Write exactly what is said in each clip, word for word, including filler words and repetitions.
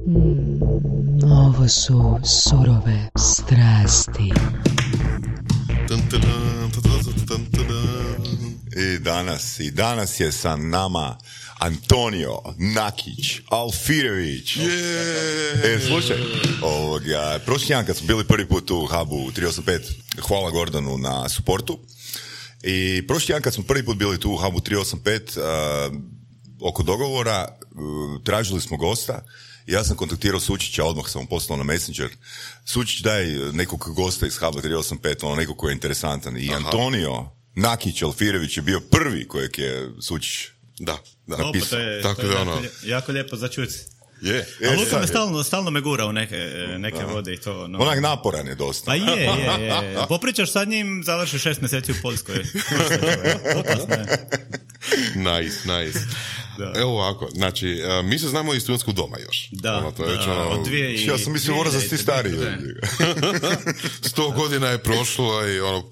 Mm, ovo su surove strasti. I danas, i danas je sa nama Antonio Nakić Alfirević. Yeah. E, slušaj, ovoga, prošli tjedan kad smo bili prvi put u Hubu tri osam pet, hvala Gordonu na suportu. I prošli tjedan kad smo prvi put bili tu u Hubu tri osam pet, uh, oko dogovora, uh, tražili smo gosta. Ja sam kontaktirao Sučića, odmah sam mu poslao na Messenger. Sučić, daj nekog gosta iz Huba tri osam pet, ono nekog koji je interesantan. I Aha. Antonio Nakić Alfirević je bio prvi kojeg je Sučić da, da. napisao. O, pa to je, Tako to je da jako, ono... jako lijepo za čuti. Je. A Je, Luka me sad stalno, stalno me gura u neke, neke Aha. vode i to. No. Onak naporan je dosta. Pa je, je, je. Popričaš sa njim, završi šest mjeseci u Poljskoj. Nice, nice. Da. Evo ovako, znači, uh, mi se znamo iz studentskog doma još. Da, ono, to je da, već ono... od dvije i... Ja sam mislio mora za ti stariji. Sto godina je prošlo i ono...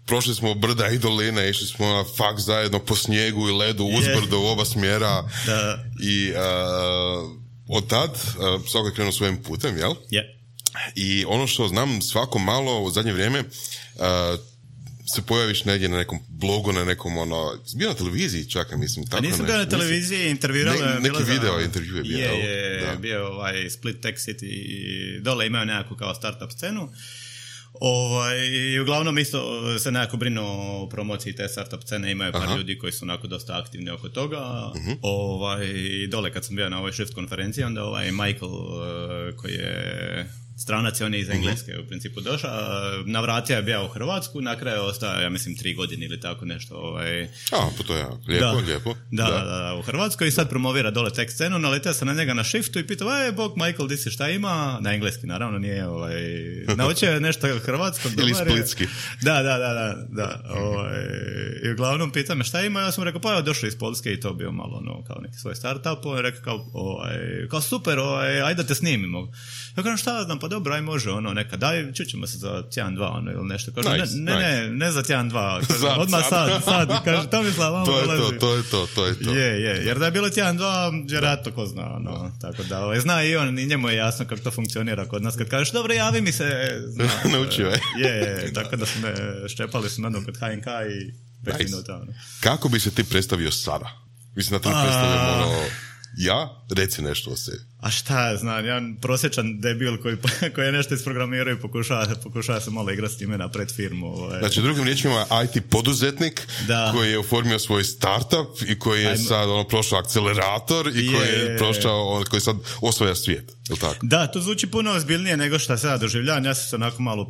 Prošli smo brda i doline, išli smo na faks zajedno po snijegu i ledu, uzbrdo u oba smjera. Da. I uh, od tad uh, svako je krenuo svojim putem, jel? Je. Yeah. I ono što znam svako malo u zadnje vrijeme, uh, se pojaviš negdje na nekom blogu, na nekom ono... Bio na televiziji čak, mislim. Tako A nisam bio na televiziji, intervjuirao je... Ne, neki video za... intervju je bio. Je, je, je bio ovaj Split Tech City i dole imaju nekakvu kao startup scenu. Ovaj, i uglavnom isto se nekako brinu o promociji te startup scene, imaju par Aha. ljudi koji su onako dosta aktivni oko toga. Uh-huh. Ovaj, dole kad sam bio na ovoj Shift konferenciji, onda ovaj Michael koji je stranac, on je iz Engleske uh-huh. u principu došao, navratio je bio u Hrvatsku, na kraju ostao, ja mislim, tri godine ili tako nešto. Ovaj. A, pa to je lijepo, da. lijepo. Da, da, da, da, u Hrvatskoj i sad promovira dole tech scenu, naletio sam na njega na Shiftu i pitao, aj, bog, Michael, di si, šta ima? Na engleski, naravno, nije, ovaj, naučio je nešto hrvatsko. Ili splitski. Da, da, da, da, da, ovaj, i uglavnom pita me šta ima, ja sam rekao, pa ja došao iz Poljske i to bio malo, ono, kao neki svoj startup, on je rekao, kao, ovaj, kao super, ovaj, ajde da te snimimo. Ja kažem, šta znam, pa dobro, aj može, ono, neka, daj, čućemo se za tjedan, dva, ono, ili nešto. Kaže, nice, ne, nice. ne, ne, ne za tjedan, dva, kaže, Sad, odmah sad, sad, sad, kaže, Tomislav, vamo to je dolazi. to, to je to, to je to. Je, je, jer da je bilo tjedan, dva, vjerojatno ko zna, ono, tako da, ovaj, zna i on, i njemu je jasno kako to funkcionira kod nas, kad kažeš, dobro, javi mi se, zna, naučio je. Je, je, tako da su me, ščepali su jednom kod H N K i pet nice. minuta, ono. Kako bi se ti predstavio sada? Mislim da te ne predstavljam, ono, ja, reci nešto o sebi. A šta, znam, jedan prosječan debil koji, koji je nešto isprogramirao i pokušava, pokušava se malo igrati s time napred firmu. Ovaj. Znači, drugim riječima, I T poduzetnik da. koji je oformio svoj startup i koji je Ajmo. sad ono, prošao akcelerator i je, koji je prošao, on, koji sad osvaja svijet. Je li tako? Da, to zvuči puno ozbiljnije nego što se ja doživljavam. Ja sam se onako malo, uh,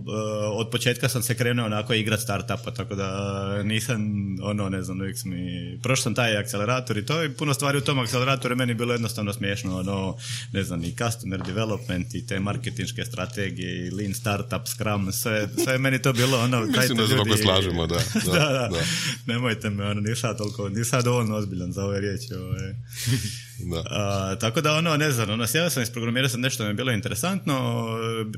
od početka sam se krenuo onako igrat startupa, tako da nisam, ono, ne znam, uvijek mi, prošao sam taj akcelerator i to i puno stvari u tom akceleratoru je meni bilo jednostavno smiješno, ono, ne znam, i customer development i te marketinške strategije i lean startup, scrum, sve, sve je meni to bilo ono... Mislim da se ljudi... slažemo, da. Da, da, da. da. Nemojte me, ono, nisam toliko, nisam dovoljno ozbiljan za ove riječi. Ove. Da. A, tako da, ono, ne znam, ono, sjeo sam, isprogramirao sam nešto, mi je bilo interesantno,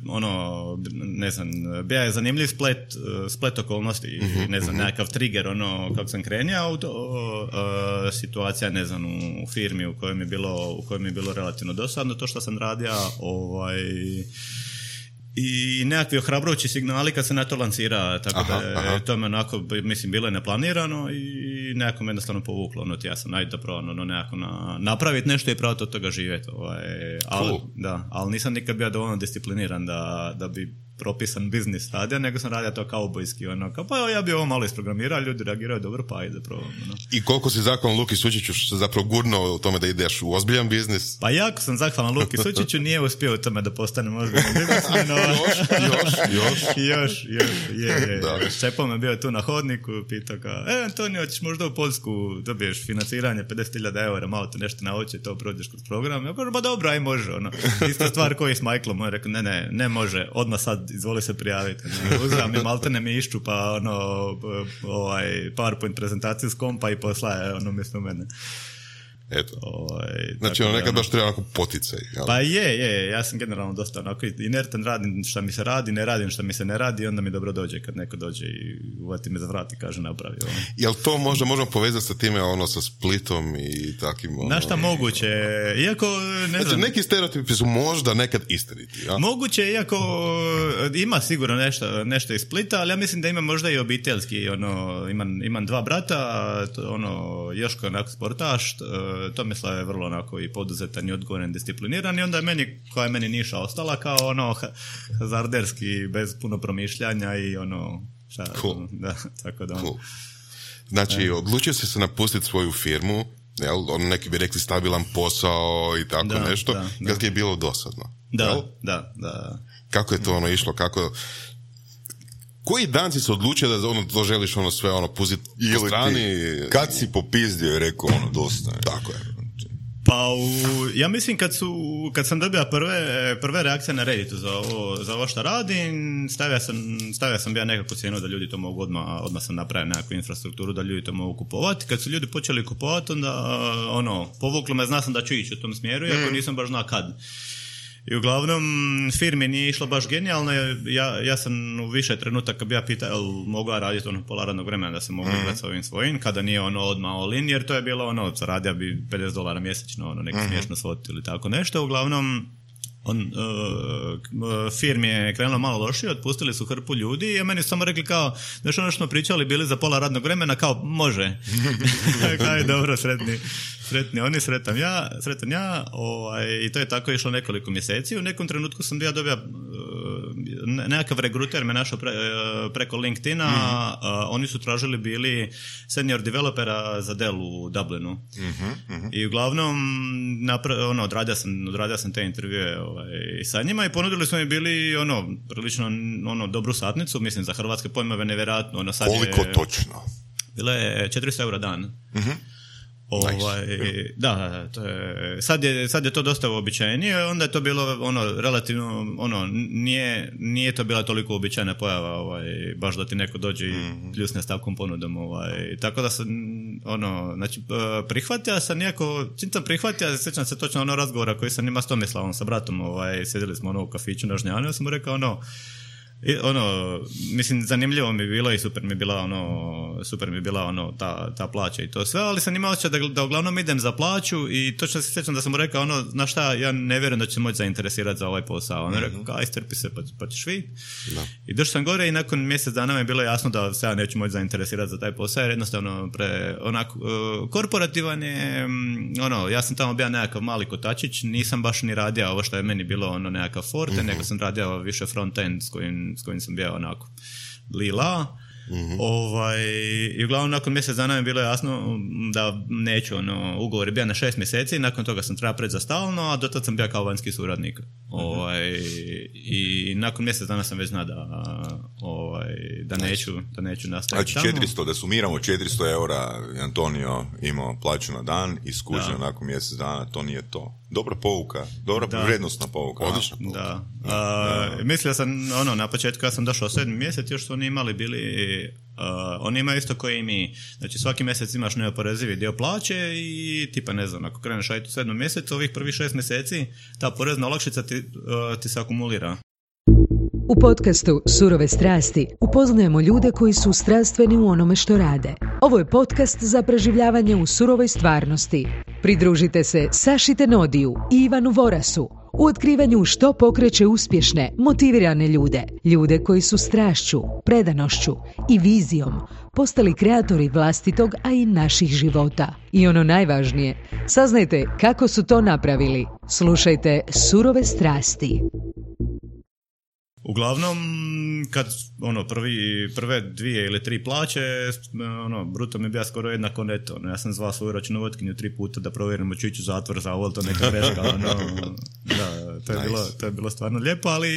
ono, ne znam, bio je zanimljiv splet, splet okolnosti, mm-hmm, ne znam, mm-hmm. nekakav trigger, ono, kako sam krenio, to, uh, situacija, ne znam, u firmi u kojoj mi je bilo, u kojoj mi je bilo relativno dosadno to što sam radio, ovaj... i nekakvi ohrabrujući signali kad se na to lansira, tako aha, da aha. to me onako, mislim, bilo je neplanirano i nekako me jednostavno povuklo, ono, ja sam najde dobro, ono, nekako na, napraviti nešto i pravo od toga živjeti, ovaj, ali, cool. da, ali nisam nikad bio dovoljno discipliniran da, da bi propisan biznis radio, nego sam radio to kaubojski, ono, kao, pa ja bi ovo malo isprogramirao, ljudi reagiraju dobro, pa ajde probam, ono. I koliko si zahvalan Luki Sučiću što se zapravo gurnuo u tome da ideš u ozbiljan biznis? Pa jako sam zahvalan Luki Sučiću, nije uspio u tome da postanem ozbiljan biznis, no, još, još, još. još, još, je, je. Ščepom je bio tu na hodniku, pitao kao, e, Antonio, ćeš možda u Poljsku, dobiješ financiranje pedeset hiljada eura, malo te nešto nauči, to prođeš kroz program. Ja kažem, ba dobro, aj može, ono. Ista stvar koji s Michaelom, on je rekao, ne, ne, ne može, odmah sad izvoli se prijaviti. Uzram mi maltene mi išču, pa ono, ovaj, PowerPoint prezentaciju s kompa i poslaje, ono, mjesto mene. Eto. Ovaj, znači, ono, nekad baš treba onako poticaj. Jel? Pa je, je, ja sam generalno dosta onako inertan, radim šta mi se radi, ne radim šta mi se ne radi, onda mi dobro dođe kad neko dođe i uvati me za vrat i kaže napravi ovo. Jel to možda možemo povezati sa time, ono, sa Splitom i takim... Ono, na šta moguće, iako ne znači, znam... neki stereotipi su možda nekad istiniti, ja? Moguće, iako ima sigurno nešto, nešto iz Splita, ali ja mislim da ima možda i obiteljski, ono, imam, imam dva brata, to, ono, Joško je onako sportaš, Tomislav je vrlo onako i poduzetan i odgovoran, discipliniran i onda je meni, koja je meni niša ostala, kao ono hazarderski, bez puno promišljanja i ono, šta, cool. da, tako da ono. Cool. Znači, e. odlučio si se napustiti svoju firmu, jel, on neki bi rekli stabilan posao i tako da, nešto, da, jel ti je bilo dosadno? Da, jel? da, da. Kako je to ono išlo, kako... Koji dan si se odlučio da ono, to želiš ono sve ono pustiti po strani? Ti, kad si popizdio i rekao ono dosta. Tako je. Pa u, ja mislim kad su kad sam dobio prve, prve reakcije na Redditu za ovo, za ovo što radim, stavio sam, stavio sam ja nekakvu cijenu da ljudi to mogu odmah, odmah sam napravio nekakvu infrastrukturu da ljudi to mogu kupovati. Kad su ljudi počeli kupovati, onda ono, povuklo me, zna sam da ću ići u tom smjeru, iako mm. nisam baš znao kad. I uglavnom firmi nije išlo baš genijalno, ja, ja sam u više trenutaka bi ja pitao jel mogu ja raditi ono pola radnog vremena da se mogu mm. igrati s ovim svojim, kada nije ono odmah all in, jer to je bilo ono, zaradio bi pedeset dolara mjesečno, ono neko mm. smiješno svotu ili tako nešto, uglavnom on, uh, firmi je krenulo malo lošije, otpustili su hrpu ljudi i meni su samo rekli kao, znaš ono što smo pričali, bili za pola radnog vremena, kao može. Kao je dobro, sretni, sretni oni, sretan ja, sretan ja ovaj, i to je tako išlo nekoliko mjeseci. U nekom trenutku sam ja dobio uh, nekakav regruter me našao pre, uh, preko LinkedIna, mm-hmm. uh, oni su tražili bili senior developera za Dell u Dublinu. Mm-hmm. I uglavnom napra- ono, odradio sam, odradio sam te intervjue ovaj, sa njima i ponudili su mi bili ono, prilično ono, dobru satnicu, mislim za hrvatske pojmove nevjerojatno. Ono, sad koliko je, točno? Bilo je četiristo eura dan. Mm-hmm. Ovaj, nice. Da, to je, sad, je, sad je to dosta uobičajenije, onda je to bilo ono, relativno, ono, nije, nije to bila toliko uobičajena pojava, ovaj, baš da ti neko dođe i mm-hmm. pljusne stavkom ponudom, ovaj, tako da sam, ono, znači, prihvatio sam iako, čim sam prihvatio, sjećam se točno ono razgovora koji sam ima s Tomislavom, sa bratom, ovaj, sjedili smo ono u kafiću na Žnjanu, ja sam mu rekao ono, I ono, mislim, zanimljivo mi je bilo i super mi je bila ono, super mi je bila ono, ta, ta plaća i to sve, ali sam imao osjećaj da, da uglavnom idem za plaću i točno se sjećam da sam mu rekao ono, znaš šta, ja ne vjerujem da će se moći zainteresirati za ovaj posao. On je rekao, kao, istrpi se, pa, pa ćeš vidjeti. I došao sam gore i nakon mjesec dana mi je bilo jasno da se ja neću moći zainteresirati za taj posao, jer jednostavno pre, onako, uh, korporativan je, um, ono, ja sam tamo bio nekakav mali kotačić, nisam baš ni radio ovo što je meni bilo ono nekakav forte, mm-hmm. nego sam radio više front-end s kojim s kojim sam bio onako lila. Mm-hmm. Ovaj, i uglavnom nakon mjesec dana mi bilo jasno da neću, ono, ugovor je bio na šest mjeseci, nakon toga sam trebao preći za stalno, a dotad sam bio kao vanjski suradnik. Mm-hmm. Ovaj, i nakon mjesec dana sam već znao da, ovaj, da, neću, da neću nastaviti znači, četiristo, da sumiramo četiristo eura Antonio imao plaću na dan i skužio nakon mjesec dana, to nije to. Dobra pouka, dobra da. Vrijednostna pouka. Odlična pouka. Da. Da. A, da. Mislio sam, ono, na početku ja sam došao sedmi mjesec, još su oni imali bili, uh, oni imaju isto koji i mi, znači svaki mjesec imaš neoporezivi dio plaće i tipa ne znam, ako kreneš raditi u sedmom mjesecu, ovih prvih šest mjeseci, ta porezna olakšica ti, uh, ti se akumulira. U podcastu Surove strasti upoznajemo ljude koji su strastveni u onome što rade. Ovo je podcast za preživljavanje u surovoj stvarnosti. Pridružite se Saši Tenodiju i Ivanu Vorasu u otkrivanju što pokreće uspješne, motivirane ljude. Ljude koji su strašću, predanošću i vizijom postali kreatori vlastitog, a i naših života. I ono najvažnije, saznajte kako su to napravili. Slušajte Surove strasti. Uglavnom, kad ono, prvi, prve dvije ili tri plaće, ono, bruto mi je bio skoro jednako neto. Ja sam zvao svoju računovodkinju tri puta da provjerimo ću ići u zatvor za ovo, to neka greška. Ono, da, to je, nice. bilo, to je bilo stvarno lijepo, ali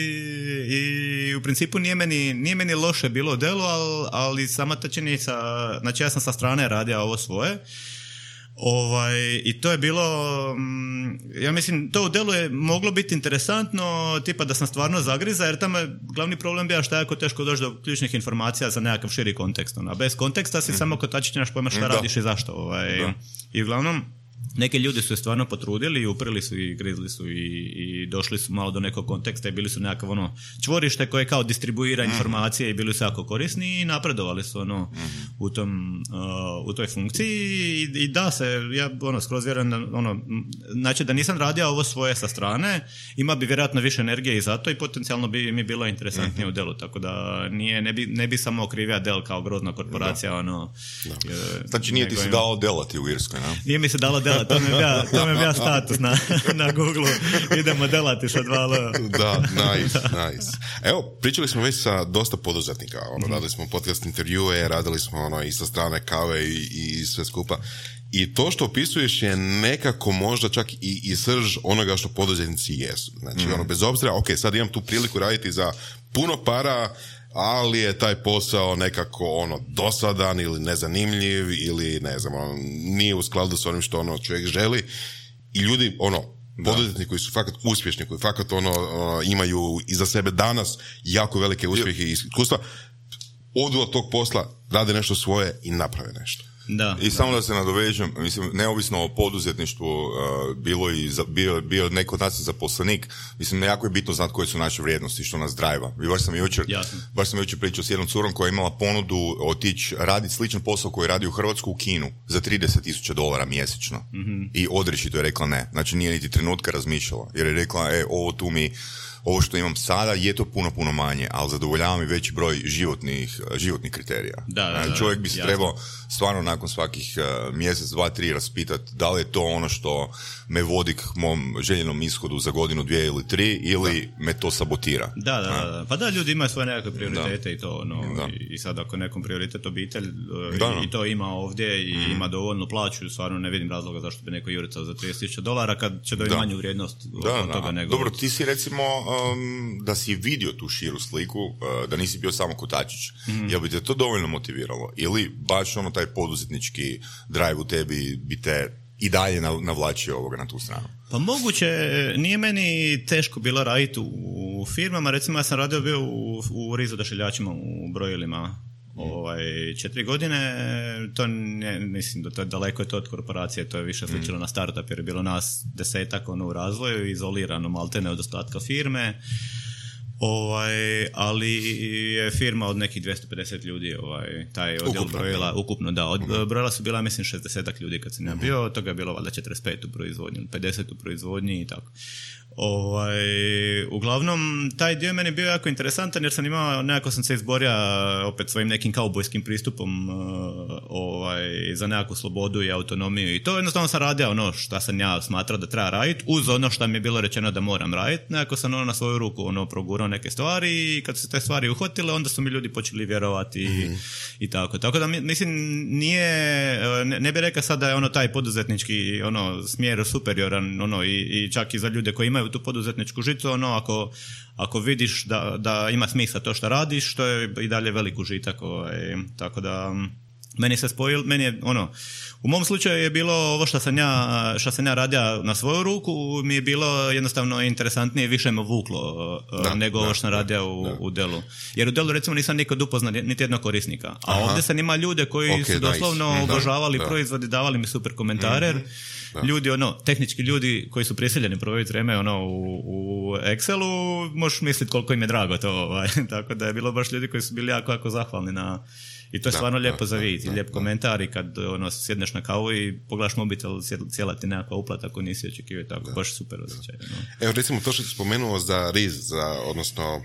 i u principu nije meni, nije meni loše bilo delo, ali, ali sama ta činjenica, znači ja sam sa strane radio ovo svoje. Ovaj, i to je bilo, ja mislim, to u delu je moglo biti interesantno, tipa da sam stvarno zagriza, jer tamo je glavni problem bio što je jako teško doći do ključnih informacija za nekakav širi kontekst. A bez konteksta si mm. samo kotačić, nemaš pojma šta da. radiš i zašto. Ovaj. I uglavnom, neki ljudi su je stvarno potrudili i uprili su i grizli su i, i došli su malo do nekog konteksta i bili su nekakav ono čvorište koje kao distribuira informacije i bili su jako korisni i napredovali su ono u tom uh, u toj funkciji i, i da se, ja ono skroz vjerujem da ono, znači da nisam radio ovo svoje sa strane, ima bi vjerojatno više energije i zato i potencijalno bi mi bilo interesantnije mm-hmm. u Dellu, tako da nije, ne bi, ne bi samo okrivio Dell kao grozna korporacija, da. ono... Da. Je, znači nije ti se dalo delati u Irskoj, ne? Nije mi se dalo delati, to mi je bija, to mi je bija status na, na Google, idemo delati sa dva L. Da, nice, nice. Evo, pričali smo već sa dosta poduzetnika, ono, mm-hmm. radili smo podcast intervjue, radili smo ono, i sa strane kave i, i sve skupa. I to što opisuješ je nekako možda čak i, i srž onoga što poduzetnici jesu. Znači, mm. ono, bez obzira, ok, sad imam tu priliku raditi za puno para, ali je taj posao nekako ono dosadan ili nezanimljiv ili ne znam, ono, nije u skladu s onim što ono čovjek želi. I ljudi, ono, poduzetnici koji su fakat uspješni, koji fakat ono, ono imaju iza sebe danas jako velike uspjehe i iskustva, odu od tog posla, rade nešto svoje i naprave nešto. Da, I da. samo da se nadovežem, mislim, neovisno o poduzetništvu, uh, bilo i za, bio, bio neko od nas zaposlenik, mislim, jako je bitno znati koje su naše vrijednosti, što nas drajva. I baš sam jučer, baš sam jučer pričao s jednom curom koja je imala ponudu otići raditi sličan posao koji radi u Hrvatsku u Kinu za trideset tisuća dolara mjesečno. Mm-hmm. I odrešito je rekla ne. Znači nije niti trenutka razmišljala. Jer je rekla, e, ovo tu mi... Ovo što imam sada je to puno, puno manje, ali zadovoljava mi veći broj životnih, životnih kriterija. Da, da, da, čovjek bi se jasno. trebao stvarno nakon svakih uh, mjesec, dva, tri raspitati da li je to ono što me vodi k mom željenom ishodu za godinu, dvije ili tri, ili da. me to sabotira. Da, da, da, da. Pa da, ljudi imaju svoje nekakve prioritete da. i to, ono, i, i sad ako nekom prioritet obitelj da, i, i to ima ovdje i mm. ima dovoljnu plaću, stvarno ne vidim razloga zašto bi neko juricao za trideset tisuća dolara kad će dobiti manju vrijednost da, od da. toga nego... Dobro, ti si recimo um, da si vidio tu širu sliku, uh, da nisi bio samo kotačić, mm. jel bi te to dovoljno motiviralo? Ili baš ono taj poduzetnički drive u tebi bi te i dalje navlačio ovoga na tu stranu? Pa moguće, nije meni teško bilo raditi u firmama, recimo ja sam radio bio u, u rizu odašiljačima u brojilima ovaj, četiri godine, to ne, mislim da to je daleko je to od korporacije, to je više sličilo mm. na startup jer je bilo nas desetak ono u razvoju, izolirano maltene od ostatka firme. Ovaj, ali je firma od nekih dvjesto pedeset ljudi, ovaj, taj odjel ukupno, brojila, ukupno da, od, uh-huh. brojila su bila mislim šezdeset ljudi kad sam ja bio, od toga je bilo valjda četrdeset pet u proizvodnji, pedeset u proizvodnji i tako. Ovaj, uglavnom, taj dio meni bio jako interesantan jer sam imao, nekako sam se izborio opet svojim nekim kaubojskim pristupom ovaj, za nekakvu slobodu i autonomiju i to jednostavno sam radio ono šta sam ja smatrao da treba raditi uz ono što mi je bilo rečeno da moram raditi, nekako sam ono na svoju ruku ono progurao neke stvari i kad su te stvari uhvatile onda su mi ljudi počeli vjerovati mm-hmm. i, i tako. Tako da mislim nije, ne, ne bih rekao sad da je ono taj poduzetnički ono smjer superioran ono i, i čak i za ljude koji imaju tu poduzetničku žicu, ono, ako, ako vidiš da, da ima smisla to što radiš, to je i dalje velik užitak, ovaj, tako da meni se spojilo, meni je, ono, u mom slučaju je bilo ovo što sam ja, što sam ja radio na svoju ruku, mi je bilo jednostavno interesantnije, više me vuklo da, nego da, ovo što sam radio u, u Dellu. Jer u Dellu recimo nisam nikad upoznao niti jednog korisnika, a Aha. ovdje sam ima ljude koji okay, su doslovno nice. obožavali da, proizvodi, davali mi super komentare, mm-hmm. Da. Ljudi, ono, tehnički ljudi koji su prisiljeni provjeriti vreme, ono, u, u Excelu, možeš misliti koliko im je drago to, ovaj. Tako da je bilo baš ljudi koji su bili jako, jako zahvalni na, i to je da, stvarno lijepo da, za vidjeti, lijep da, komentar i kad, ono, sjedneš na kavu i pogledaš mobitel, cijela ti nekakva uplata koju nisi očekivao, tako, da. baš super osjećaj. No. Evo, recimo, to što si spomenuo za R I Z, za, odnosno,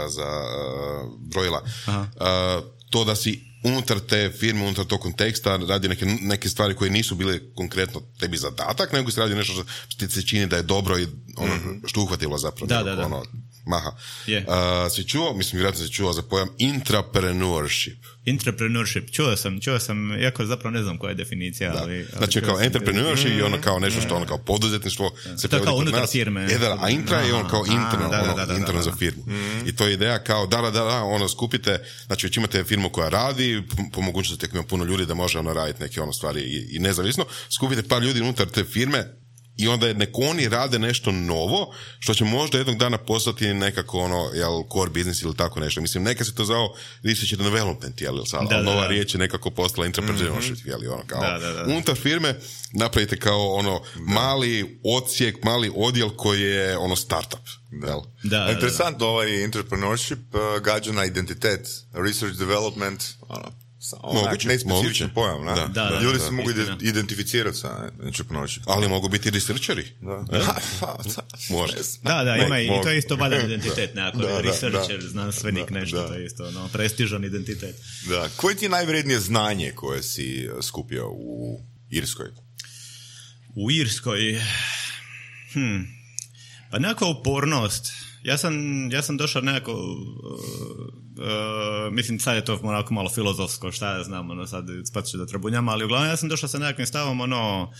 za uh, brojila, uh, to da si unutar te firme, unutar tog konteksta radi neke, neke stvari koje nisu bile konkretno tebi zadatak, nego se radi nešto što ti se čini da je dobro i ono mm-hmm. što uhvatilo zapravo. Da, da, da. Ono, maha. Yeah. Uh, si čuo, mislim, vjerojatno si čuo za pojam intrapreneurship. Intrapreneurship, čuo sam, čuo sam, iako zapravo ne znam koja je definicija. Da. Ali, ali znači kao entrepreneurship mm, i ono kao nešto što ono kao poduzetništvo da. se to je kao unutar firme. Je, da, a intra je ono kao interno, da, ono, da, da, interno da, da. za firmu. Mm. I to je ideja kao da, da, da, da, ono skupite, znači već imate firmu koja radi, po, po mogućnosti ima puno ljudi da može ono raditi neke ono stvari i, i nezavisno, skupite par ljudi unutar te firme i onda nek oni rade nešto novo, što će možda jednog dana postati nekako ono, jel, core business ili tako nešto. Mislim, neka se to zvao research and development, jel, sad, da, nova da. riječ je nekako postala entrepreneurship, mm-hmm. jel, ono, kao, da, da, da. unutar firme napravite kao ono, da. mali odsjek, mali odjel koji je ono startup. Da. Da, da, interesantno, da. Ovaj entrepreneurship uh, gađa na identitet, research development, ono, moguće, nespecifičan pojam, ne? Da, da, da, ljudi se da, mogu istina. identificirati sa entrepreneurship. Ali mogu biti researcheri. Da, može. Da, da, ima i to isto valjda identitet, nekako, da, researcher, da, znanstvenik, da, nešto, da. to je isto, no, prestižan identitet. Da, koje ti je najvrednije znanje koje si skupio u Irskoj? U Irskoj? Hm... Pa nekakva upornost. Ja sam, ja sam došao nekako, uh, uh, mislim sad je to onako malo filozofsko, šta ja znam, ono sad spatit ću da trabunjam, ali uglavnom ja sam došao sa nekakvim stavom, ono,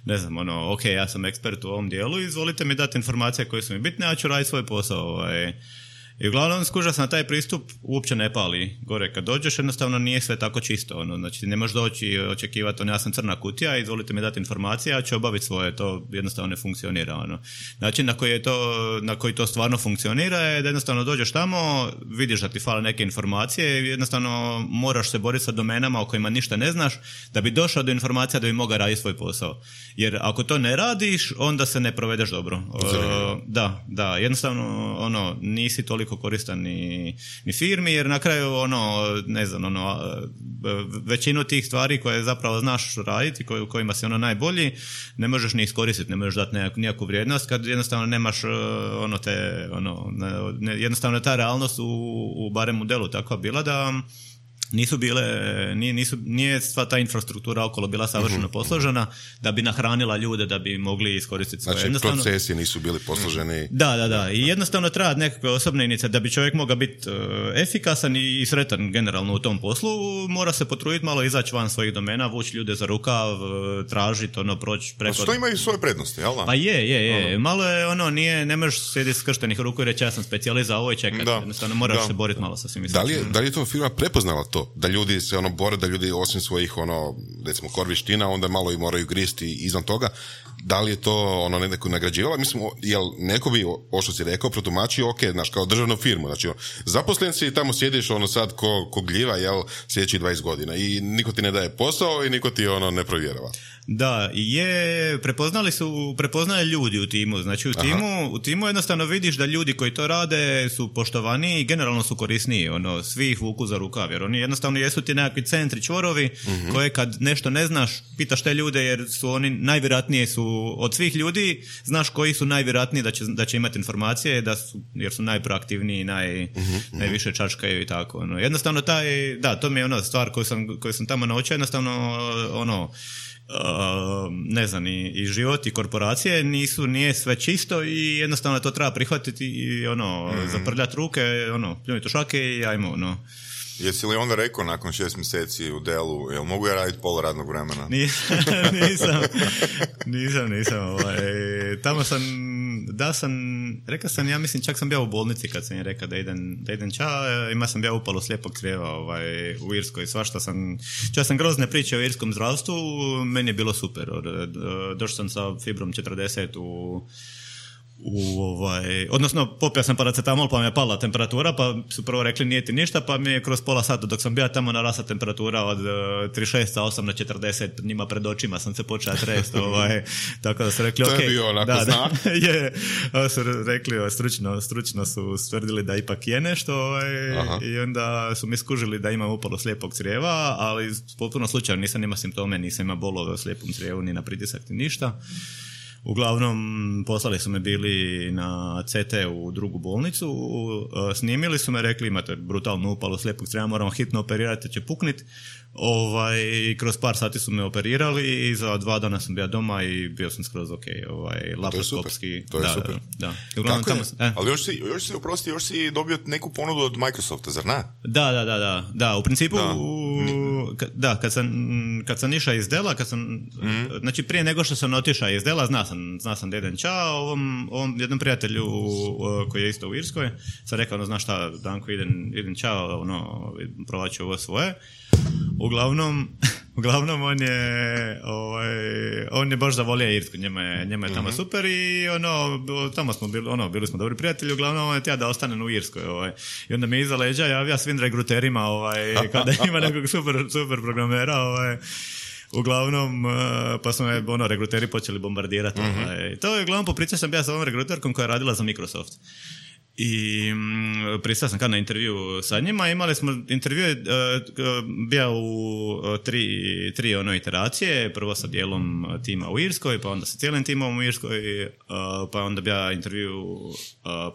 ne znam, ono, ok, ja sam ekspert u ovom dijelu, izvolite mi dati informacije koje su mi bitne, ja ću raditi svoj posao, ovaj. I uglavnom skuža sam na taj pristup, uopće ne pali gore kad dođeš, jednostavno nije sve tako čisto, ono, znači ne možeš doći i očekivati, ono, ja sam crna kutija, izvolite mi dati informacije, ja ću obaviti svoje, to jednostavno ne funkcionira, ono. Način na koji je to, na koji to stvarno funkcionira je da jednostavno dođeš tamo, vidiš da ti fale neke informacije i jednostavno moraš se boriti sa domenama o kojima ništa ne znaš, da bi došao do informacija da bi mogao raditi svoj posao. Jer ako to ne radiš, onda se ne provedeš dobro. Uh, da, da, jednostavno, ono, nisi toliko koristan ni, ni firmi, jer na kraju ono, ne znam, ono, većinu tih stvari koje zapravo znaš raditi, koj, u kojima si ono najbolji, ne možeš ni iskoristiti, ne možeš dati nekakvu, nekakvu vrijednost kad jednostavno nemaš ono te, ono, ne, jednostavno ta realnost u, u barem modelu takva bila da nisu bile, nije, nisu, nije sva ta infrastruktura okolo bila savršeno mm-hmm. posložena da bi nahranila ljude, da bi mogli iskoristiti svoje. Znači, procesi nisu bili posloženi. Da, da, da. I jednostavno treba nekakve osobne inicijative da bi čovjek mogao biti uh, efikasan i, i sretan generalno u tom poslu. Mora se potruditi malo izaći van svojih domena, vući ljude za rukav, tražiti, ono, proći preko... Što imaju svoje prednosti, jel da? Pa je, je, je. Ono. Malo je, ono, nije, ne možeš sjediti skrštenih ruku i reći ja sam specijalist za ovo i čekati. Da. Jednostavno moraš da. se boriti malo sa svim. Da li je, da li je to firma prepoznala to? Da ljudi se ono bore, da ljudi osim svojih ono, recimo kor vještina, onda malo i moraju gristi izvan toga. Da li je to ono neko nagrađivala? Mislim, jel neko bi, o što si rekao, protumačio, ok, znaš, kao državnu firmu, znači, zaposlen si i tamo sjediš ono sad ko, ko gljiva, jel, sljedećih dvadeset godina i niko ti ne daje posao i niko ti ono ne provjerava. Da, je, prepoznali su, prepoznaje ljudi u timu, znači u timu, u timu jednostavno vidiš da ljudi koji to rade su poštovani i generalno su korisniji, ono, svi ih vuku za rukav, jer oni jednostavno jesu ti nekakvi centri, čvorovi, mm-hmm. koje kad nešto ne znaš, pitaš te ljude jer su oni najvjerojatnije su, od svih ljudi, znaš koji su najvjerojatniji da će, da će imati informacije, da su, jer su najproaktivniji, naj, mm-hmm. najviše čačkaju i tako, ono. Jednostavno taj, da, to mi je ona stvar koju sam, koju sam tamo naučio, jednostavno, ono, Uh, ne znam, i, i život i korporacije nisu, nije sve čisto i jednostavno to treba prihvatiti i ono, mm. zaprljati ruke, ono, pljuniti u šake i ajmo, ono. Jesi li onda rekao nakon šest mjeseci u Dellu, jel mogu ja raditi pola radnog vremena? Nisam, nisam, nisam, nisam, ovaj, tamo sam, da sam, rekao sam, ja mislim, čak sam bio u bolnici kad sam je rekao da idem, da idem ča, ima sam bio upalu slijepog crijeva, ovaj, u Irskoj, svašta sam, čak sam grozne priče o irskom zdravstvu, meni je bilo super, došao sam sa fibrom četrdeset u U, ovaj, odnosno popio sam paracetamol pa mi je pala temperatura, pa su prvo rekli nije ti ništa, pa mi je kroz pola sata dok sam bio tamo narasla temperatura od uh, trideset šest sa osam na četrdeset, njima pred očima sam se počeo trest, ovaj, tako da su rekli to ok, je bio onako da, znak. Da, je, su rekli stručno, stručno su stvrdili da ipak je nešto, ovaj, i onda su mi skužili da imam upalu slijepog crijeva, ali potpuno slučajno nisam ima simptome, nisam ima bolove u slijepom crijevu ni na pritisak ni ništa. Uglavnom, poslali su me bili na C T u drugu bolnicu, snimili su me, rekli imate brutalnu upalu slijepog crijeva, moramo hitno operirati, će pukniti. Ovaj, kroz par sati su me operirali i za dva dana sam bio doma i bio sam skroz ok, ovaj, laparoskopski. To je da, super. Da, da. Uglavnom, tamo, eh. Ali još si, još si, oprosti, još si dobio neku ponudu od Microsofta, zar ne? Da, da, da, da, da, u principu, da, u, ka, da kad, sam, kad sam išao iz Dela, kad sam, mm. znači prije nego što sam otišao iz Dela, zna sam, zna sam da idem ča, ovom, ovom jednom prijatelju koji je isto u Irskoj, sam rekao, ono, znaš šta, Danko, idem, idem ča, ono, provaću ovo svoje. Uglavnom, uglavnom on je ovaj, on je baš zavolio Irsku, njema je, njema je tamo mm-hmm. super i ono, tamo smo bili, ono, bili smo dobri prijatelji, uglavnom on je tija da ostanem u Irskoj, ovaj. I onda mi iza leđa javlja svim regruterima, ovaj, kada ima nekog super, super programera, ovaj. Uglavnom, pa smo je, ono, regruteri počeli bombardirati. Mm-hmm. Ovaj. To je, uglavnom, popričao sam ja sa ovom regruterkom koja je radila za Microsoft. I mm, pristao sam kad na intervju sa njima, imali smo intervju je uh, bio u uh, tri, tri ono iteracije, prvo sa dijelom tima u Irskoj, pa onda sa cijelim timom u Irskoj, uh, pa onda bio intervju uh,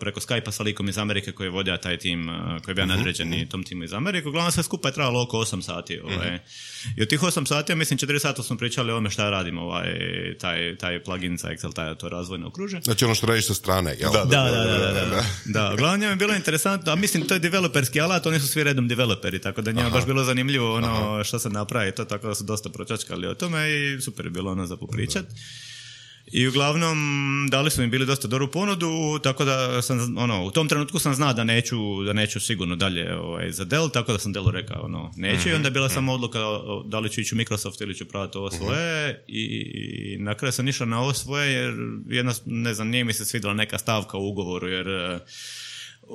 preko Skype-a sa likom iz Amerike koji je vodio taj tim, uh, koji je bio uh-huh. nadređeni tom timu iz Amerike. Uglavnom sve skupa je trajalo oko osam sati. Ovaj. Uh-huh. I od tih osam sati, ja mislim četiri sata smo pričali o ome šta radimo, ovaj, taj, taj plugin za Excel, taj, to razvojno okružje. Znači ono što radiš sa strane, jel? Da, da, da. da, da, da, da. Da, uglavnom je bilo interesantno, a mislim to je developerski alat, oni su svi redom developeri, tako da njima baš bilo zanimljivo ono Aha. što se napravi, to tako da su dosta pročačkali o tome i super je bilo ono za popričat. I uglavnom dali su mi bili dosta dobru ponudu, tako da sam, ono, u tom trenutku sam znao da neću, da neću sigurno dalje ovaj, za Dell, tako da sam Dellu rekao, ono, neću mm-hmm. i onda je bila samo odluka da li ću ići u Microsoft ili ću pravati ovo svoje mm-hmm. i na kraju sam išao na ovo svoje jer jedna, ne znam, nije mi se svidjela neka stavka u ugovoru jer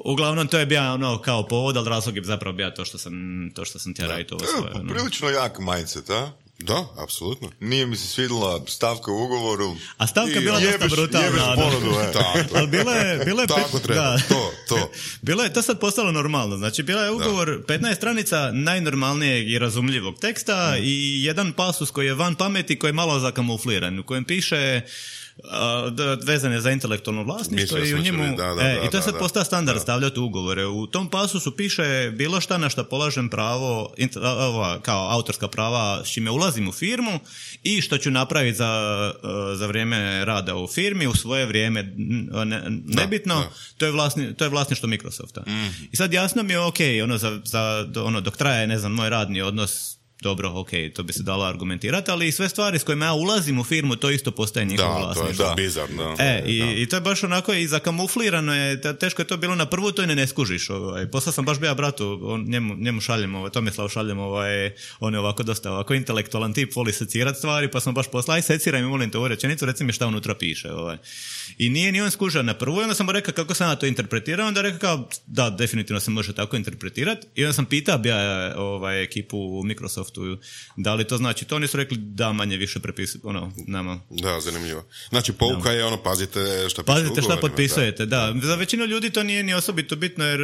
uglavnom to je bio ono kao povod, ali razlog je zapravo bio to što sam, to što sam tjera raditi ovo svoje. To je prilično jak mindset, a? Da, apsolutno. Nije mi se svidjela stavka u ugovoru. A stavka je bila dosta brutalna. Jebeš ponudu, e. Ali bila je... Bila je tako pet, treba, da. to, to. Bilo je to sad postalo normalno. Znači, bila je ugovor da. petnaest stranica najnormalnijeg i razumljivog teksta mm. i jedan pasus koji je van pameti, koji je malo zakamufliran, u kojem piše... Uh, vezan je za intelektualno vlasništvo i u njemu da, da, e, da, i to je sad da, postao standard da. stavljati u ugovore. U tom pasusu piše bilo šta na što polažem pravo inter, ova, kao autorska prava s čime ulazim u firmu i što ću napraviti za, za vrijeme rada u firmi u svoje vrijeme ne, nebitno, da, da. To, je vlasni, to je vlasništvo Microsofta. Mm. I sad jasno mi je ok, ono, za, za, ono, dok traje ne znam, moj radni odnos dobro, ok, to bi se dalo argumentirati, ali i sve stvari s kojima ja ulazim u firmu, to isto postaje njihovo vlasništvo. Da, to je bizarno. E, i, i to je baš onako i zakamuflirano je, teško je to bilo na prvu, to i ne, ne skužiš. Ovaj. Poslao sam baš bio bratu, on, njemu, njemu šaljem, ovaj, Tomislav šaljem, ovaj, on je ovako dosta ovako intelektualan tip, voli secirati stvari, pa sam baš poslao, aj seciraj mi, molim te ovu rečenicu, reci mi šta unutra piše. Ovaj. I nije ni on skužao na prvu, i onda sam mu rekao kako sam ja to interpretirao, onda rekao kao, da, definitivno se može tako interpretirati, i onda sam pitao bio ovaj, ekipu u Microsoft da li to znači to, oni su rekli da manje više prepisuju ono, nama. Da, zanimljivo. Znači pouka je ono, pazite šta piše pazite šta potpisujete, da. da. Za većinu ljudi to nije ni osobito bitno jer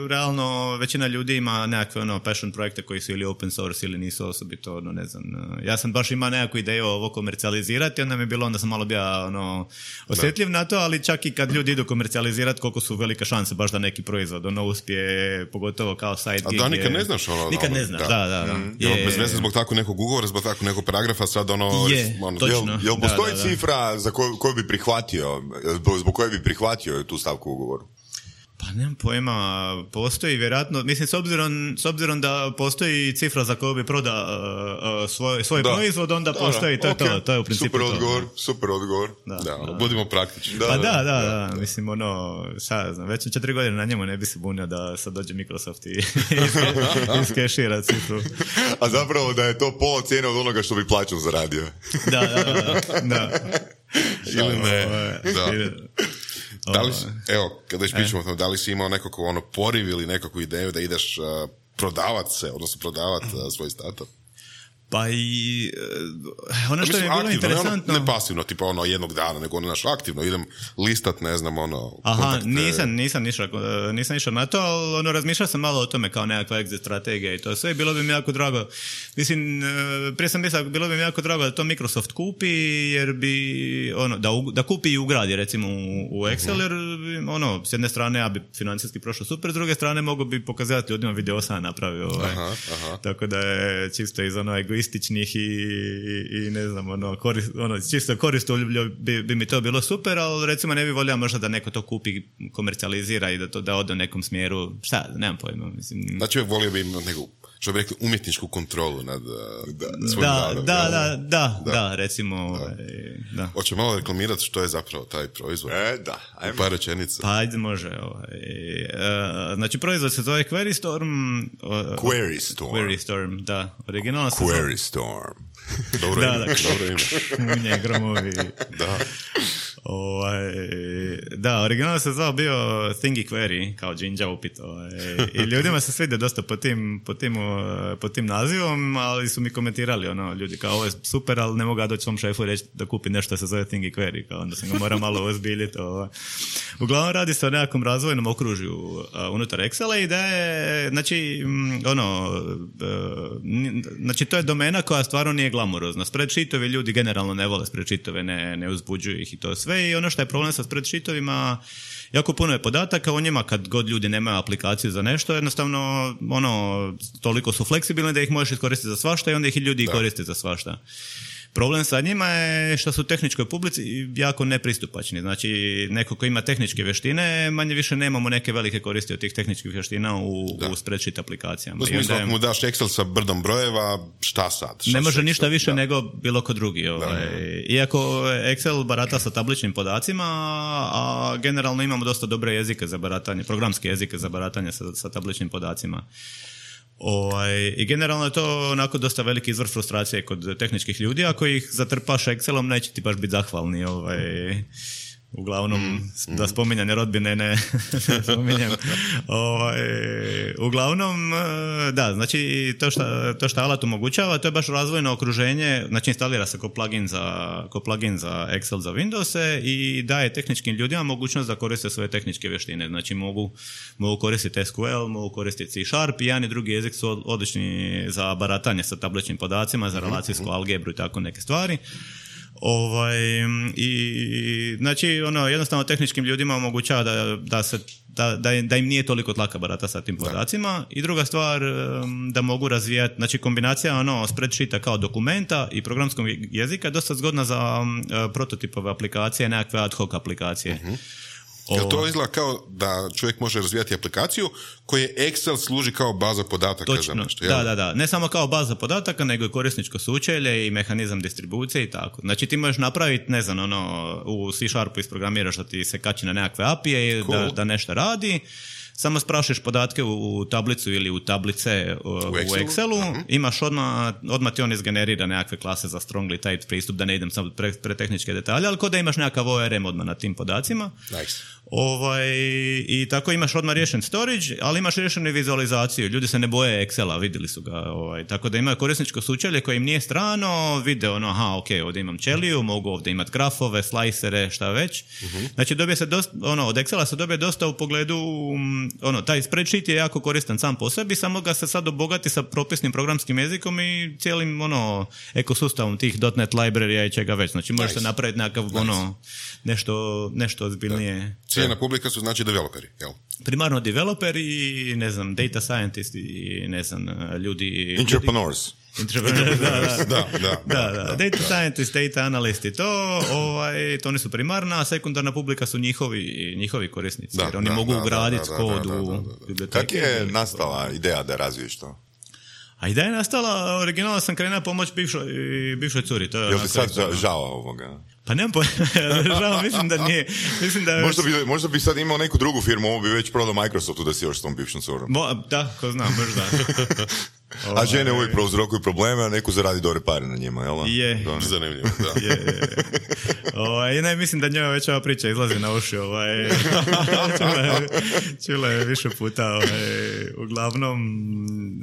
realno većina ljudi ima nekakve ono, passion projekte koji su ili open source ili nisu osobito, ono, ne znam. Ja sam baš imao nekakvu ideju ovo komercijalizirati, onda mi je bilo, onda sam malo bio ono, osjetljiv da. na to, ali čak i kad ljudi idu komercijalizirati, koliko su velike šanse baš da neki proizvod ono uspije, pogotovo kao side gig. A da, nikad ne znaš ono. Nikad ne znaš, da, da, da. da. Mm. Je, bez veze zbog tako nekog ugovora, zbog tako nekog paragrafa sad ono... Je, ono, točno. Jel, jel postoji da, da, da. cifra za koju, koju bi prihvatio, zbog koje bi prihvatio tu stavku u ugovoru? Pa nemam pojma, postoji vjerojatno, mislim s obzirom, s obzirom da postoji cifra za koju bi prodao uh, uh, svoj, svoj proizvod, onda da, postoji, to je okay. to, to je u principu super odgovor, to. Super odgovor, da, da, da. Budimo praktični. Da, pa da, da, da, da, da. mislim ono, šta znam, već četiri godine na njemu ne bi se bunio da sad dođe Microsoft i iskešira cifru. A zapravo da je to pola cijene od onoga što bi plaćom zaradio. Da, da, da, da. Ili ne, da. Da li, evo, kada već pričamo o tom, da li si imao nekako ono poriv ili nekakvu ideju da ideš uh, prodavat se, odnosno prodavat uh, svoj startup? Pa i uh, ono što je bilo aktivno, interesantno... Ne, ono, ne pasivno, tipa ono jednog dana, nego ono naš aktivno, idem listat, ne znam, ono... Aha, kontakte. nisam, nisam išao, nisam išao na to, ali ono, razmišljao sam malo o tome kao nekakva exit strategija i to sve, bilo bi mi jako drago, mislim, prije sam mislio, bilo bi mi jako drago da to Microsoft kupi, jer bi, ono, da, da kupi i ugradi, recimo, u, u Excel, jer, ono, s jedne strane ja bi financijski prošao super, s druge strane mogu bi pokazati ljudima video sam napravio, ovaj. Aha, aha. Tako da je čisto iz ono egoističnih i, i, i ne znam, ono, korist, ono čisto koristoljublje bi, bi mi to bilo super, ali recimo ne bi volio možda da neko to kupi, komercijalizira i da to da ode u nekom smjeru, šta, nemam pojma, mislim. Znači volio bi imati neku što bi rekli, umjetničku kontrolu nad da, svojim da, radom. da, Da, da, da, da, da, recimo, da. da. Hoće malo reklamirati što je zapravo taj proizvod? E, da. Ajmo. U par rečenica. Pa ajde, može. Ovaj. E, znači, proizvod se zove Query Storm. O, Query Storm. Query Storm, da. Originalno se Query zove... Storm. Dobro Da, ime, da. dobro ime. Munje, gromovi. Da. Ovaj, da, originalno se zvao bio Thingy Query, kao Jinja upit. Ovaj, i ljudima se svide dosta po tim, po, tim, po tim nazivom, ali su mi komentirali, ono, ljudi kao, ovo je super, ali ne mogu ja doći svom šefu i reći da kupi nešto se zove Thingy Query, kao onda sam ga morao malo ozbiljiti. Ovaj. Uglavnom radi se o nekakvom razvojnom okružju uh, unutar Excela i da je, znači, m, ono, uh, n- znači to je domena koja stvarno nije glamurozna. Spreadsheetovi ljudi generalno ne vole spreadsheetove, ne, ne uzbuđuju ih i to sve. I ono što je problem sa spreadsheetovima, jako puno je podataka o njima kad god ljudi nemaju aplikaciju za nešto, jednostavno ono, toliko su fleksibilni da ih možeš iskoristiti za svašta i onda ih i ljudi da. koriste za svašta. Problem sa njima je što su u tehničkoj publici jako nepristupačni. Znači, neko ko ima tehničke vještine, manje više nemamo neke velike koristi od tih tehničkih vještina u, u spreadsheet aplikacijama. U smislu, ako mu daš Excel sa brdom brojeva, šta sad? Šta ne može Excel? ništa više da. nego bilo ko drugi. Ovaj. Iako Excel barata sa tabličnim podacima, a generalno imamo dosta dobre jezike za baratanje, programske jezike za baratanje sa, sa tabličnim podacima. Ovaj, i generalno je to onako dosta veliki izvor frustracije kod tehničkih ljudi, ako ih zatrpaš Excelom neće ti baš biti zahvalni. Ovaj, uglavnom, mm, da spominjanje rodbine ne, ne spominjem. Ovaj, uglavnom, da, znači to što, to što alat omogućava, to je baš razvojno okruženje, znači instalira se ko plugin za, ko plugin za Excel za Windowse i daje tehničkim ljudima mogućnost da koriste svoje tehničke vještine. Znači mogu, mogu koristiti S Q L, mogu koristiti C Sharp i jedan i drugi jezik su odlični za baratanje sa tabličnim podacima, za relacijsku algebru i tako neke stvari. Ovaj, i znači ono jednostavno tehničkim ljudima omogućava da, da, se, da, da, da im nije toliko tlaka barata sa tim podacima. I druga stvar, da mogu razvijati, znači kombinacija ono spreadsheeta kao dokumenta i programskog jezika je dosta zgodna za um, prototipove aplikacije, nekakve ad hoc aplikacije. Uh-huh. Jel to izgleda kao da čovjek može razvijati aplikaciju koje Excel služi kao baza podataka? Točno, za nešto? da, da, da. Ne samo kao baza podataka, nego i korisničko sučelje i mehanizam distribucije i tako. Znači ti možeš napraviti, ne znam, ono, u C Sharpu isprogramiraš da ti se kači na nekakve A P I-e, cool. da, da nešto radi. Samo sprašuješ podatke u tablicu ili u tablice u, u Excelu, Excelu. Uh-huh. Imaš odmah, odmah ti on izgenerira nekakve klase za strongly typed pristup, da ne idem samo pre, pre tehničke detalje, ali kod da imaš nekakav O R M odmah na tim podacima. Nice. Ovaj, i tako imaš odmah riješen storage, ali imaš riješenu vizualizaciju. Ljudi se ne boje Excela, vidjeli su ga. Ovaj, tako da imaju korisničko sučelje koje im nije strano, vide ono, aha, ok, ovdje imam ćeliju, mogu ovdje imati grafove, slicere, šta već. Uh-huh. Znači dobije se dosta, ono, od Excela se dobije dosta u pogledu, ono, taj spreadsheet je jako koristan sam po sebi, samo ga se sad obogati sa propisnim programskim jezikom i cijelim, ono, ekosustavom tih .NET library i čega već. Znači može nice. se napraviti nekakav, nice. ono, nešto, nešto ozbiljnije. Ciljena publika su znači developeri, jel? Primarno developeri i, ne znam, data scientist i, ne znam, ljudi... Entrepreneurs. Entrepreneurs, da, da. da, da, da, da. Data scientist, data analyst i to, ovaj, to oni su primarna, a sekundarna publika su njihovi, njihovi korisnici, da, jer oni da, mogu ugraditi kod u biblioteke. Kako je nastala ideja da razviješ to? A ideja je nastala, originalno sam krenuo pomoć bivšoj, bivšoj curi. To je Jel ti sad žao, žao ovoga? Pa nemam pojma, žao, mislim da nije. Mislim da možda, bi, možda bi sad imao neku drugu firmu, ovo bi već prodao Microsoftu da si još s tom bivšom curom. Mo, da, ko znam, možda. A žene uvijek prouzrokuju probleme, a neko zaradi dobre pare na njima, jel? Je. Zanimljivo, da. Je, je. Ovaj, ne, mislim da njoj već ova priča izlazi na uši, ovaj, čula, je, čula je više puta, ovaj, uglavnom,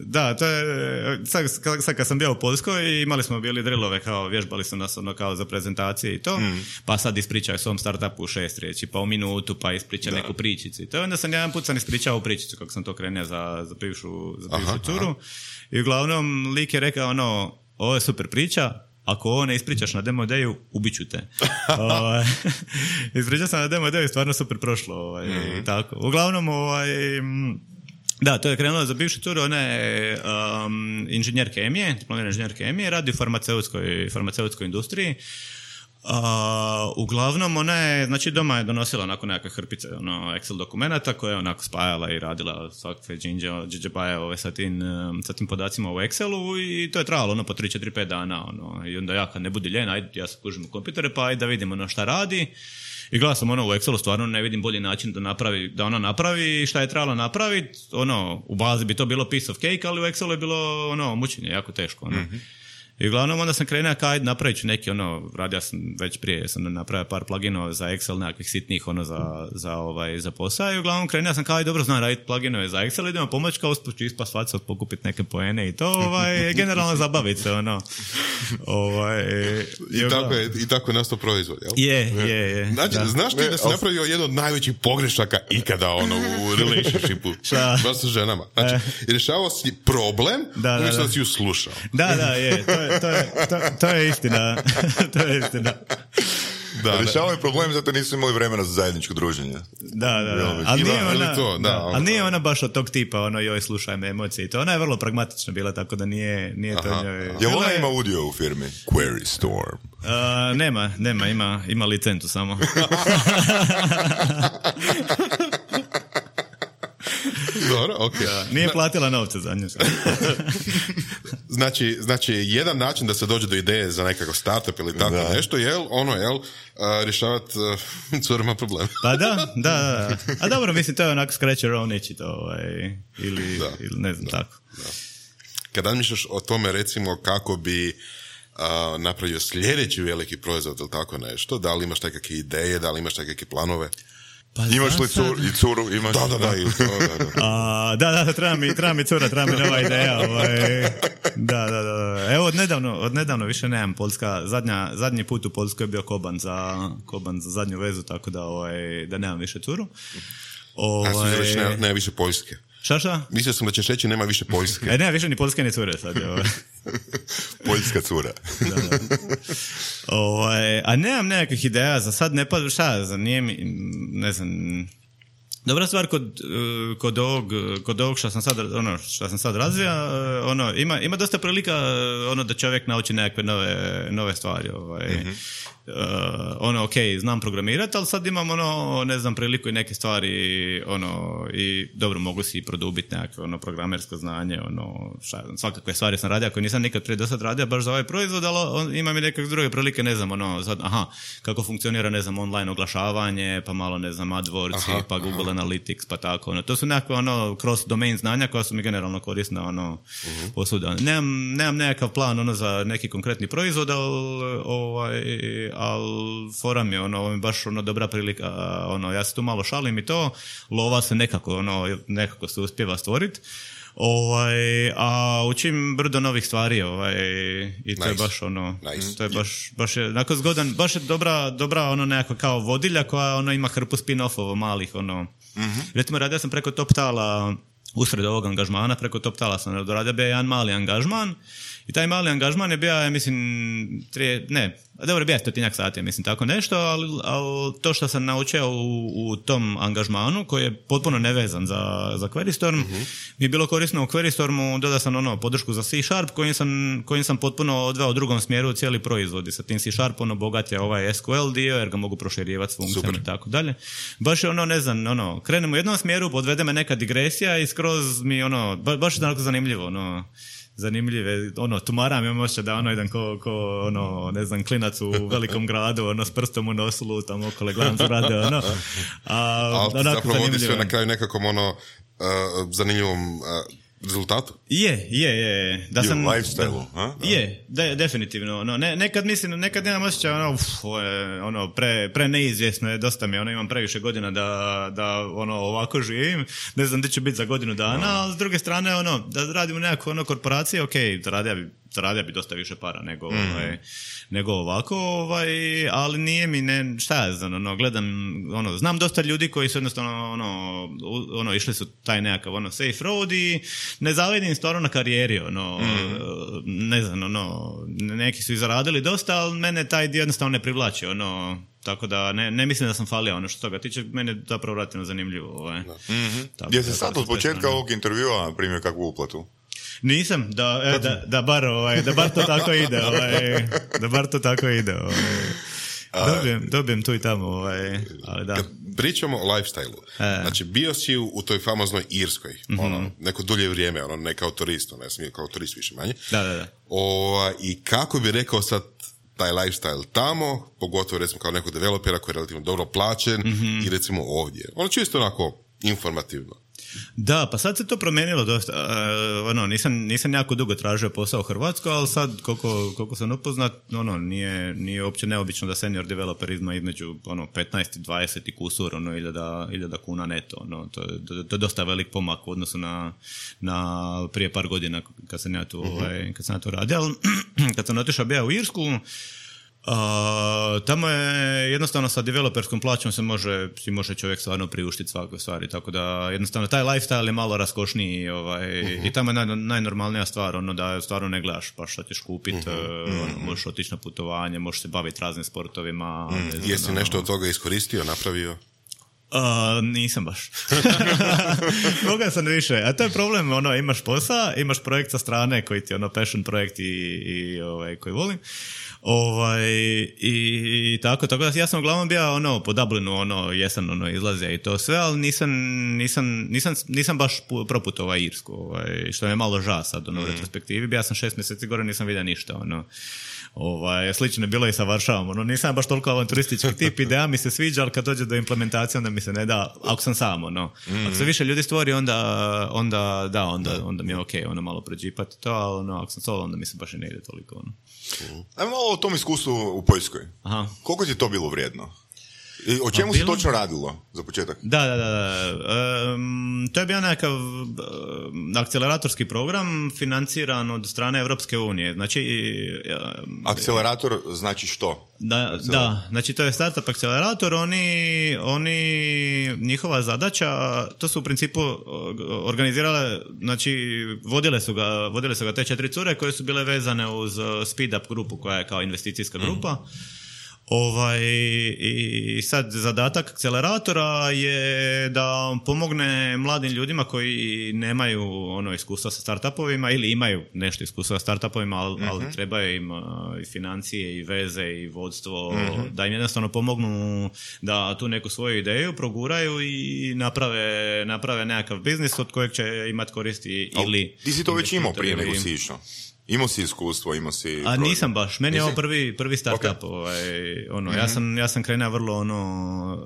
da, to je, sad, sad kad sam bio u Poljskoj, imali smo bili drillove, kao, vježbali su nas ono kao za prezentacije i to, mm. pa sad ispričaju svom startupu u šest riječi, pa u minutu, pa ispriča da. neku pričicu i to, onda sam jedan put sam ispričao pričicu kako sam to krenuo za, za bivšu, za bivšu aha, curu. Aha. I uglavnom lik je rekao ono, ovo je super priča, ako ovo ne ispričaš na demo ideju, ubit ću te. ovaj, ispričao sam na demo ideju i stvarno super prošlo. Ovaj, mm-hmm. tako. Uglavnom, ovaj, da, to je krenulo za bivšu curu, ona je um, inženjer kemije, diplomirani inženjer kemije, radi u farmaceutskoj, farmaceutskoj industriji. A, uglavnom ona je, znači doma je donosila onako nekakve hrpice ono, Excel dokumenata koje je onako spajala i radila svakakve džinđe ove sa tim, sa tim podacima u Excelu i to je trajalo ono po tri, četiri, pet dana ono, i onda ja kad ne budi ljen, ajde ja se kužim u kompjutere pa ajde da vidimo ono šta radi i gledam sam ono u Excelu stvarno ne vidim bolji način da napravi, da ona napravi šta je trebalo napraviti, ono u bazi bi to bilo piece of cake, ali u Excelu je bilo ono mučenje, jako teško ono. Mm-hmm. I uglavnom onda sam krenuo kao ajde napravit ću neki ono, radio sam već prije, sam napravio par pluginova za Excel, nekakvih sitnih ono za, za, ovaj, za posao i uglavnom krenuo sam kao ajde dobro znam raditi pluginove za Excel, idemo pomoći kao usput ću ispast faca, pokupiti neke poene i to, ovaj, generalno zabaviti se ono. Ovaj, i, i, tako je, I tako je nastao proizvod, jel? Je, je, je. Znači, znaš ti da si napravio jedan od najvećih pogrešaka ikada ono, u relationshipu, baš sa ženama. Znači, rješavao si problem, da, umjesto da, da si ju slušao. Da, da, je, to je, to je, to, to je istina. To je istina. Da, rješavaju problem zato nisu imali vremena za zajedničko druženje. Da, da, da. Ali nije, ona, to, da, da, ali nije ona baš od tog tipa, ono, joj, slušaj me emocije. To ona je vrlo pragmatična bila, tako da nije, nije to njoj... Jel ona ima udio u firmi? Query Storm. Uh, nema, nema, ima, ima licencu samo. Dobro, okej. Okay. Nije platila novce za nju. znači, znači, jedan način da se dođe do ideje za nekakav startup ili tako da. nešto, jel, ono, jel, uh, rješavati uh, curima problem. Pa da, da, da. A dobro, mislim, to je onako scratch your own itch, to, ovaj, ili, da. ili ne znam, da. tako. Da. Kad razmišljaš o tome, recimo, kako bi uh, napravio sljedeći veliki proizvod ili tako nešto, da li imaš nekakve ideje, da li imaš nekakve planove? Pa imaš li cur, i curu? Imaš... Da, da, da. I to, da, da. A, da, da, treba mi, treba mi cura, treba mi nova ideja. Ovaj. Da, da, da. Evo, od nedavno, od nedavno više nemam Poljska. Zadnja, zadnji put u Poljskoj je bio Koban za, Koban za zadnju vezu, tako da, ovaj, da nemam više curu. Ovaj... A si reći, nema, nema više Poljske. Šta, šta? Mislio sam da ćeš reći nema više Poljske. E, nema više ni Poljske ni cure sad. Ovaj. Poljska cura. Da, da. Ovaj, a nemam nekakvih ideja, za sad ne pa, šta, za nije mi, ne znam, dobra stvar kod, kod ovog, kod ovog što sam sad, ono, što sam sad razvija, ono, ima, ima dosta prilika, ono, da čovjek nauči nekakve nove, nove stvari, ovaj. Mm-hmm. Uh, ono, ok, znam programirati, ali sad imam, ono, ne znam, priliku i neke stvari, ono, i dobro, mogu si produbiti nekakve, ono, programersko znanje, ono, šta, svakakve stvari sam radio, koje nisam nikad prije do sad radio, baš za ovaj proizvod, ali on, imam i nekakve druge prilike, ne znam, ono, sad, aha, kako funkcionira, ne znam, online oglašavanje, pa malo, ne znam, AdWords, aha, pa Google aha. Analytics, pa tako, ono, to su nekakve, ono, cross domain znanja koja su mi generalno korisna, ono, uh-huh. posuda. Nemam, nemam nekakav plan, ono, za neki konkretni proizvod, ali, ovaj, ali forum je ono, ovo mi baš ono dobra prilika, ono, ja se tu malo šalim i to, lova se nekako, ono, nekako se uspijeva stvoriti. Ovaj, a učim brdo novih stvari, ovaj, i to nice. je baš ono, nice. to je baš, baš je, onako zgodan, baš je dobra, dobra ono nekako kao vodilja koja ono ima hrpu spin-offova malih, ono. Mm-hmm. Recimo, radio sam preko Top Tala, usred ovog angažmana, preko Top Tala sam radio bio jedan mali angažman. I taj mali angažman je bio, ja mislim, tri, ne, dobro, bio stotinjak sati, mislim, tako nešto, ali, ali to što sam naučio u, u tom angažmanu, koji je potpuno nevezan za, za QueryStorm, uh-huh. mi je bilo korisno u QueryStormu, dodao sam ono, podršku za C Sharp, kojim sam, kojim sam potpuno odveo u drugom smjeru cijeli proizvod. I sa tim C Sharp, ono, bogat je ovaj S Q L dio, jer ga mogu proširivati s funkcijama i tako dalje. Baš je ono, ne znam, ono, krenem u jednom smjeru, podvede me neka digresija i skroz mi, ono, ba, baš je tako zanimljivo, ono, zanimljive, ono, tumaram imam ošće da ono jedan ko, ko, ono, ne znam, klinac u velikom gradu, ono, s prstom u nosu lutam okolo, gledam se rade, ono. A, ali zapravo vodi sve na kraju nekakvom, ono, uh, zanimljivom uh, rezultatu? Je, je, je. Da sam, lifestyle-u, a? Je, de, definitivno. Ono, ne, nekad mislim, nekad nemam osjećaj, ono, uf, ono pre, pre neizvjesno je, dosta mi, ono, imam previše godina da, da ono, ovako živim, ne znam gdje ću biti za godinu dana, no. ali s druge strane, ono, da radimo nekako, ono, korporacije, ok, zaradio bi, zaradio bi dosta više para nego, mm. ovaj, nego ovako, ovaj, ali nije mi, ne, šta ja znam, ono, gledam, ono, znam dosta ljudi koji su jednostavno, ono, ono, išli su taj nekakav, ono, safe road i ne zavidim stvarno na karijeri, ono, mm. ne znam, ono, neki su i zaradili dosta, ali mene taj dio jednostavno ne privlači, ono, tako da ne, ne mislim da sam falio ono što toga tiče, mene zapravo relativno zanimljivo. Ovaj. Mm-hmm. Jesi sad od početka ovog intervjua primio kakvu uplatu? Nisam, da, e, da, da, bar, ovaj, da bar to tako ide, ovaj, da bar to tako ide. Ovaj. dobijem, dobijem tu i tamo, ovaj, ali da. Kad pričamo o lifestyle-u, e. znači bio si u, u toj famoznoj Irskoj, mm-hmm. ono, neko dulje vrijeme, ono, ne kao turist, ono, ja sam kao turist više manje. Da, da, da. O, I kako bi rekao sad taj lifestyle tamo, pogotovo recimo kao nekog developera koji je relativno dobro plaćen mm-hmm. i recimo ovdje. Ono čisto onako informativno. Da, pa sad se to promijenilo dosta. Uh, ono, nisam, nisam jako dugo tražio posao u Hrvatskoj, ali sad koliko, koliko sam upoznat, ono, nije, nije uopće neobično da senior developer ima između ono, petnaest i dvadeset i kusur, ono, hiljada kuna neto. Ono, to, to, to je dosta velik pomak u odnosu na, na prije par godina kad sam ja tu, uh-huh. ovaj, kad sam ja tu radio. Ali kad sam otišao bio u Irsku, Uh, tamo je jednostavno sa developerskom plaćom se može, si može čovjek stvarno priuštiti svakoj stvari, tako da jednostavno taj lifestyle je malo raskošniji ovaj, uh-huh. i tamo je naj, najnormalnija stvar, ono da stvarno ne gledaš pa što ćeš kupiti, uh-huh. uh, ono, možeš otići na putovanje, možeš se baviti raznim sportovima. Uh-huh. Znam, jesi ono, nešto od toga iskoristio, napravio? Uh, nisam baš. Moga sam više. A to je problem, ono, imaš posao, imaš projekt sa strane koji ti ono passion projekt i, i ovaj, koji volim. Ovaj, i, i tako, tako da ja sam uglavnom bio ono, po Dublinu, ono, jesen ono, izlazio i to sve, ali nisam, nisam, nisam, nisam baš proputovao ovaj Irsku, ovaj, što je malo ža sad ono, u retrospektivi. Bija sam šest mjeseci gore, nisam vidio ništa. Ono. Ovaj, slično je bilo i sa Varšavom. Ono, nisam baš toliko avanturistički tip, ideja mi se sviđa, ali kad dođe do implementacije, onda mi se ne da, ako sam sam, ono. Mm-hmm. Ako se više ljudi stvori, onda, onda da, onda, onda mi je okej, okay, ono, malo pređipati to, ali ono, ako sam solo, onda mi se baš i ne ide toliko, ono. Ajmo malo o tom iskustvu u Poljskoj. Aha. Koliko ti je to bilo vrijedno? I o čemu se točno radilo za početak? Da, da, da. da. Um, to je bio nekakav um, akceleratorski program financiran od strane Europske unije. Znači, um, akcelerator znači što? Da, da, znači to je startup akcelerator. Oni, oni, njihova zadaća, to su u principu organizirale, znači vodile su ga, vodile su ga te četiri cure koje su bile vezane uz Speed Up grupu koja je kao investicijska grupa. Mm. Ovaj, i sad zadatak akceleratora je da pomogne mladim ljudima koji nemaju ono iskustva sa startupovima ili imaju nešto iskustva sa startupovima, ali, uh-huh. ali trebaju im uh, i financije i veze i vodstvo, uh-huh. da im jednostavno pomognu da tu neku svoju ideju proguraju i naprave, naprave nekakav biznis od kojeg će imati koristi. Ili ti si to već imao prije nego si išao? Imao si iskustvo, imao si... A nisam baš, meni je ovo prvi, prvi startup. Okay. Ovaj, ono, mm-hmm. ja, sam, ja sam krenuo vrlo ono,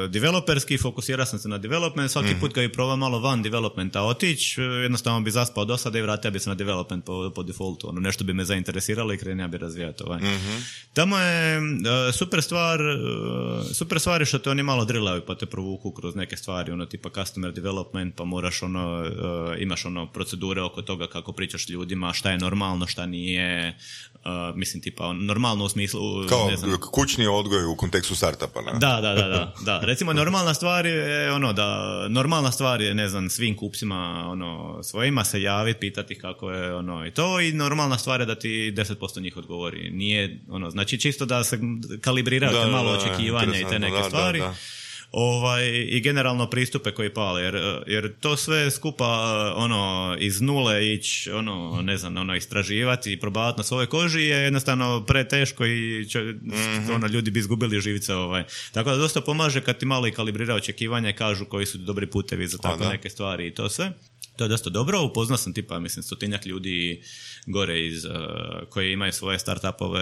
uh, developerski, fokusirao sam se na development, svaki mm-hmm. put kad bi probao malo van developmenta otići, jednostavno bi zaspao do sada i vratio bi se na development po, po defaultu. Ono, nešto bi me zainteresiralo i krenuo bi razvijati. Ovaj. Mm-hmm. Tamo je uh, super stvar, uh, super stvar je što te oni malo drillaju pa te provuku kroz neke stvari, ono tipa customer development, pa moraš ono, uh, imaš ono procedure oko toga kako pričaš ljudima, šta je normalno, šta nije, uh, mislim tipa normalno u smislu... Kao ne znam, kućni odgoj u kontekstu startupa, ne? Da, da, da, da, da. Recimo normalna stvar je ono da, normalna stvar je, ne znam, svim kupcima ono, svojima se javiti, pitati kako je ono i to, i normalna stvar je da ti deset posto njih odgovori. Nije, ono, znači čisto da se kalibriraju da, te malo da, očekivanja i te neke da, stvari. Da, da. Ovaj, i generalno pristupe koji pale, jer, jer to sve skupa ono, iz nule ići, ono, ne znam, ono, istraživati i probavati na svojoj koži je jednostavno preteško i će, mm-hmm. ono, ljudi bi izgubili živice. Ovaj. Tako da dosta pomaže kad ti malo i kalibrira očekivanja i kažu koji su dobri putevi za tako neke stvari i to sve. To je dosta dobro, upoznao sam tipa, mislim, stotinjak ljudi gore iz, uh, koji imaju svoje startupove,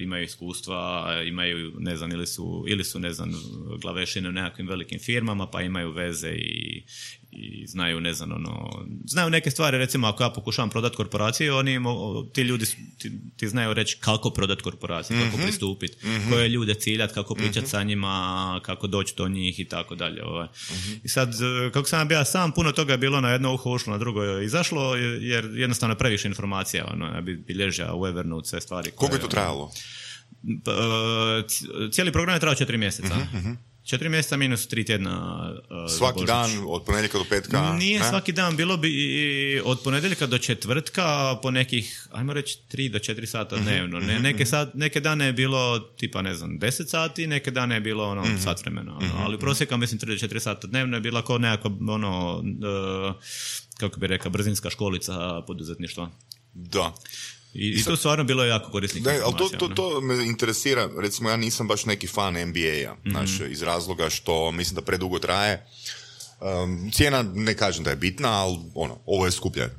imaju iskustva, imaju, ne znam, ili su, ili su ne znam, glavešine u nekakvim velikim firmama, pa imaju veze i, i znaju, ne znam, ono, znaju neke stvari, recimo, ako ja pokušavam prodati korporaciju, oni, ti ljudi, ti, ti znaju reći kako prodati korporaciju, mm-hmm. kako pristupiti, mm-hmm. koje ljude ciljati, kako pričati mm-hmm. sa njima, kako doći do njih i tako dalje. Ovaj. Mm-hmm. I sad, kako sam bio sam, puno toga je bilo na jedno uho ušlo, na drugo je izašlo, jer jednostavno je previše informacija, ono, ja bi bilježio u Evernote sve stvari. Koliko je to trajalo? Cijeli program je trajao četiri mjeseca. Mm-hmm. Četiri mjeseca minus tri tjedna. Uh, svaki dan od ponedjeljka do petka? Nije ne? Svaki dan, bilo bi od ponedjeljka do četvrtka po nekih, ajmo reći, tri do četiri sata dnevno. Ne, neke, sat, neke dane je bilo tipa, ne znam, deset sati, neke dane je bilo ono, mm-hmm. sat vremena. Ono. Ali prosjeka, mislim, tri do četiri sata dnevno je bila kao nekako, ono, uh, kako bi rekao, brzinska školica poduzetništva. Da. I, i tu stvarno bilo jako korisnih da, ali informacija. to, to, to me interesira, recimo ja nisam baš neki fan N B A-a, mm-hmm. znaš, iz razloga što mislim da predugo traje. Um, cijena ne kažem da je bitna, ali ono, ovo je skuplje.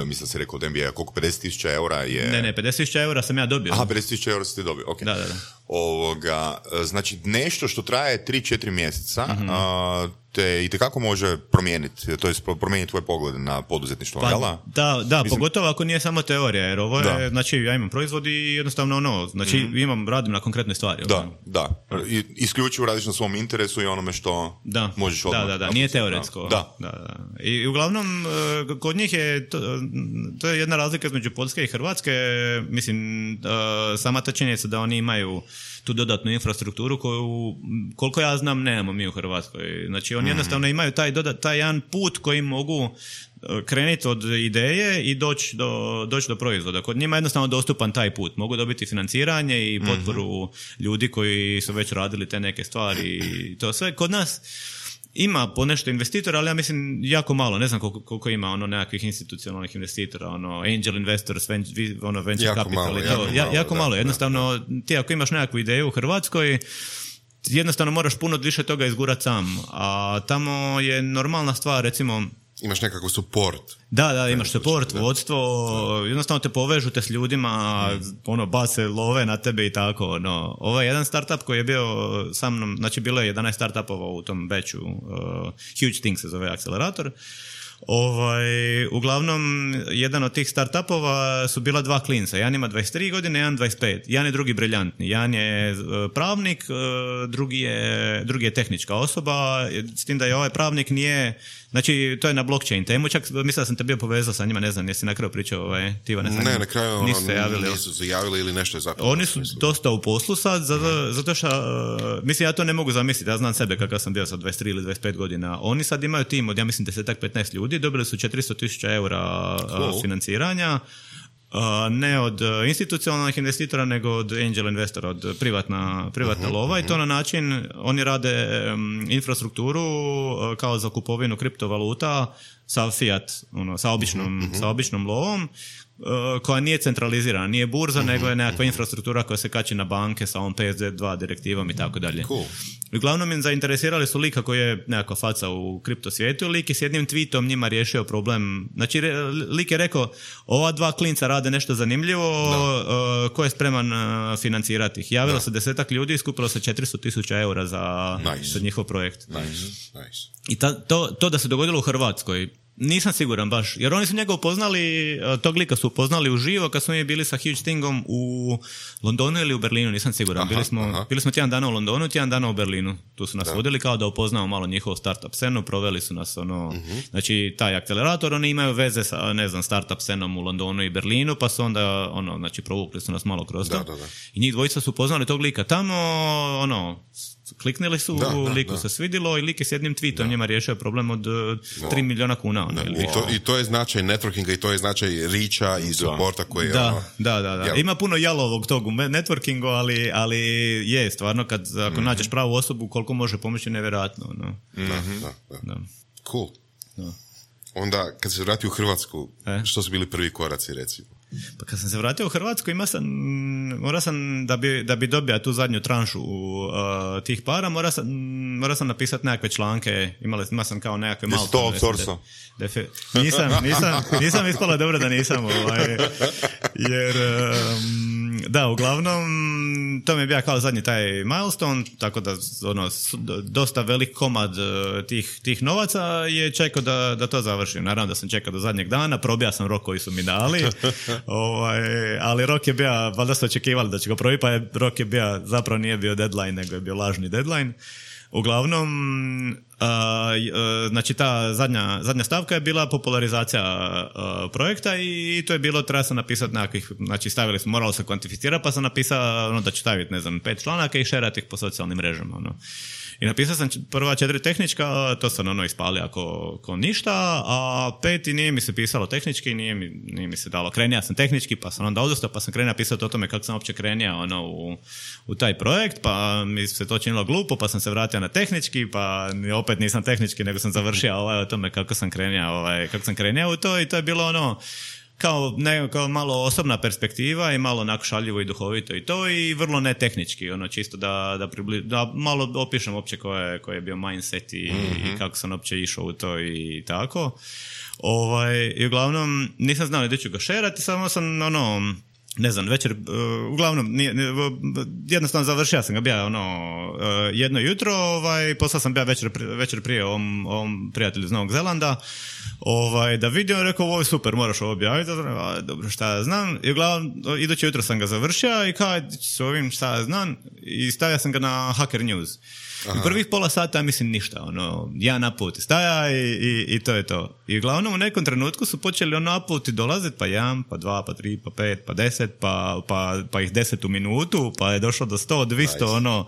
Mislim da se rekao od N B A, koliko pedeset tisuća eura je... Ne, ne, pedeset tisuća eura sam ja dobio. Aha, pedeset tisuća eura ste dobio, ok. Da, da, da. Ovoga, znači nešto što traje tri četiri mjeseca, mm-hmm. a, te itekako može promijeniti, to je promijeniti tvoj pogled na poduzetništvo, pa, jel? Da, da, mislim, pogotovo ako nije samo teorija, jer ovo je, da. Znači ja imam proizvod i jednostavno ono, znači mm-hmm. imam, radim na konkretnoj stvari. Da, ono. da, I, isključivo radiš na svom interesu i onome što da. možeš odmah. Da, da, da, nije teoretsko. Da. Da, da. I uglavnom, kod njih je, to, to je jedna razlika između Poljske i Hrvatske, mislim, sama ta činjenica da oni imaju tu dodatnu infrastrukturu koju, koliko ja znam, nemamo mi u Hrvatskoj. Znači, oni jednostavno imaju taj, dodat, taj jedan put koji mogu krenuti od ideje i doći do, doći do proizvoda. Kod njima je jednostavno dostupan taj put. Mogu dobiti financiranje i potporu mm-hmm. ljudi koji su već radili te neke stvari i to sve. Kod nas ima ponešto investitora, ali ja mislim jako malo. Ne znam koliko, koliko ima ono nekakvih institucionalnih investitora, ono angel investors, ono venture jako capital malo, i to. jako Ja, malo, jako da, malo. Jednostavno, da. Ti ako imaš nekakvu ideju u Hrvatskoj, jednostavno moraš puno više toga izgurat sam. A tamo je normalna stvar, recimo... Imaš nekakav support. Da, da, imaš support, vodstvo, jednostavno te povežu te s ljudima, mm. ono, base love na tebe i tako, no. Ovo je jedan startup koji je bio sa mnom, znači bilo je jedanaest startupova u tom batchu, uh, Huge Things se zove akcelerator. Ovaj, uglavnom, jedan od tih startupova su bila dva klinca. Jedan ima dvadeset tri godine, jedan dvadeset pet. Jedan je drugi briljantni. Jedan je pravnik, drugi je, drugi je tehnička osoba, s tim da je ovaj pravnik nije... Znači, to je na blockchain temu, čak mislim da sam te bio povezao sa njima, ne znam, jesi na kraju pričao ovaj, ti Ivane, sa Ne, na kraju ono, nisu se javili. Nisu se javili ili nešto je zapalo. Oni su dosta u poslu sad, zato, zato što, uh, mislim, ja to ne mogu zamisliti, ja znam sebe kakav sam bio sa dvadeset tri ili dvadeset pet godina. Oni sad imaju tim od, ja mislim, deset petnaest ljudi, dobili su četiristo tisuća eura cool. uh, financiranja. Uh, ne od uh, institucionalnih investitora, nego od angel investora, od privatna, privatna uh-huh, lova uh-huh. i to na način, oni rade um, infrastrukturu uh, kao za kupovinu kriptovaluta sa fiat, ono, sa običnom, uh-huh, uh-huh. sa običnom lovom, uh, koja nije centralizirana, nije burza, uh-huh, nego je nekakva uh-huh. infrastruktura koja se kači na banke sa ovom P S D dva direktivom i tako dalje. Cool. Uglavnom im zainteresirali su lika koji je nekakva faca u kripto svijetu, lik je s jednim tweetom njima riješio problem. Znači, lik je rekao, ova dva klinca rade nešto zanimljivo, uh, ko je spreman uh, financirati ih. Javilo da. se desetak ljudi i skupilo se četiristo tisuća eura za, nice. za njihov projekt. Nice. Nice. I ta, to, to da se dogodilo u Hrvatskoj, nisam siguran baš, jer oni su njega upoznali, tog lika su upoznali uživo kad smo mi bili sa Huge Thingom u Londonu ili u Berlinu, nisam siguran. Aha, bili, smo, bili smo tjedan dana u Londonu, tjedan dana u Berlinu. Tu su nas da. vodili kao da upoznamo malo njihovu startup scenu, proveli su nas ono, uh-huh. znači taj akcelerator, oni imaju veze sa, ne znam, startup scenom u Londonu i Berlinu, pa su onda, ono, znači provukli su nas malo kroz to. Da, da, da. I njih dvojica su upoznali tog lika tamo, ono, kliknili su, da, da, liku da. se svidilo i lik je s jednim tweetom da. njima riješio problem od tri milijuna kuna. Ono, I, to, I to je značaj networkinga i to je značaj riča i supporta koji je... Da, ono, da, da, da. Jel... Ima puno jalovog tog u networkingu, ali, ali je stvarno kad ako mm-hmm. nađeš pravu osobu koliko može pomoći nevjerojatno. No. Mm-hmm. Da, da, da. da. Cool. Da. Onda kad se vrati u Hrvatsku, e? što su bili prvi koraci recimo? Pa kad sam se vratio u Hrvatsku, ima sam, mora sam, da bi, da bi dobio tu zadnju tranšu uh, tih para, mora sam, mora sam napisati nekakve članke, imali, ima sam kao nekakve malo... Jesi to outsourcao? Nisam, nisam, nisam ispala dobro da nisam, ovaj, jer, um, da, uglavnom, to mi je bio kao zadnji taj milestone, tako da, ono, dosta velik komad uh, tih, tih novaca je čekao da, da to završim. Naravno da sam čekao do zadnjeg dana, probija sam rok koji su mi dali, ovaj, ali rok je bio, valjda su očekivali da će ga probi, pa je, rok je bio, zapravo nije bio deadline, nego je bio lažni deadline. Uglavnom, uh, uh, znači ta zadnja, zadnja stavka je bila popularizacija uh, projekta i to je bilo, treba sam napisati nekakvih, znači stavili smo, moralo se kvantificirati, pa sam napisao ono, da ću staviti, ne znam, pet članaka i šerati ih po socijalnim mrežama. Ono. I napisao sam prva četiri tehnička, to sam ono ispalio ako, ako ništa, a peti nije mi se pisalo tehnički, nije mi, nije mi se dalo. Krenija sam tehnički, pa sam onda odustao, pa sam krenija pisati o tome kako sam uopće krenija ono, u, u taj projekt, pa mi se to činilo glupo, pa sam se vratio na tehnički, pa opet nisam tehnički, nego sam završio ovaj, o tome kako sam krenija, ovaj, kako sam krenija u to i to je bilo ono, kao, ne, kao malo osobna perspektiva i malo onako šaljivo i duhovito i to i vrlo netehnički, ono čisto da, da, pribli, da malo opišem uopće koji je, koji je bio mindset i, mm-hmm. i kako sam uopće išao u to i tako. Ovaj, i uglavnom nisam znao da ću ga šerati, samo sam ono, ne znam, večer, uh, uglavnom nije, nije, jednostavno završio sam ga bija ono, uh, jedno jutro, ovaj, poslao sam bija večer, večer prije ovom, ovom prijatelju iz Novog Zelanda, ovaj, da vidio, rekao, ovo je super, moraš ovo objaviti, a, dobro, šta ja znam, i uglavnom, iduće jutro sam ga završio i kao, s ovim šta ja znam, i stavio sam ga na Hacker News. Aha. U prvih pola sata, mislim, ništa, ono, ja naputi staja i, i, i to je to. I uglavnom u nekom trenutku su počeli ono naputi dolaziti, pa jedan, pa dva, pa tri, pa pet, pa deset, pa, pa, pa ih deset u minutu, pa je došlo do sto, dvjesto, nice. Ono,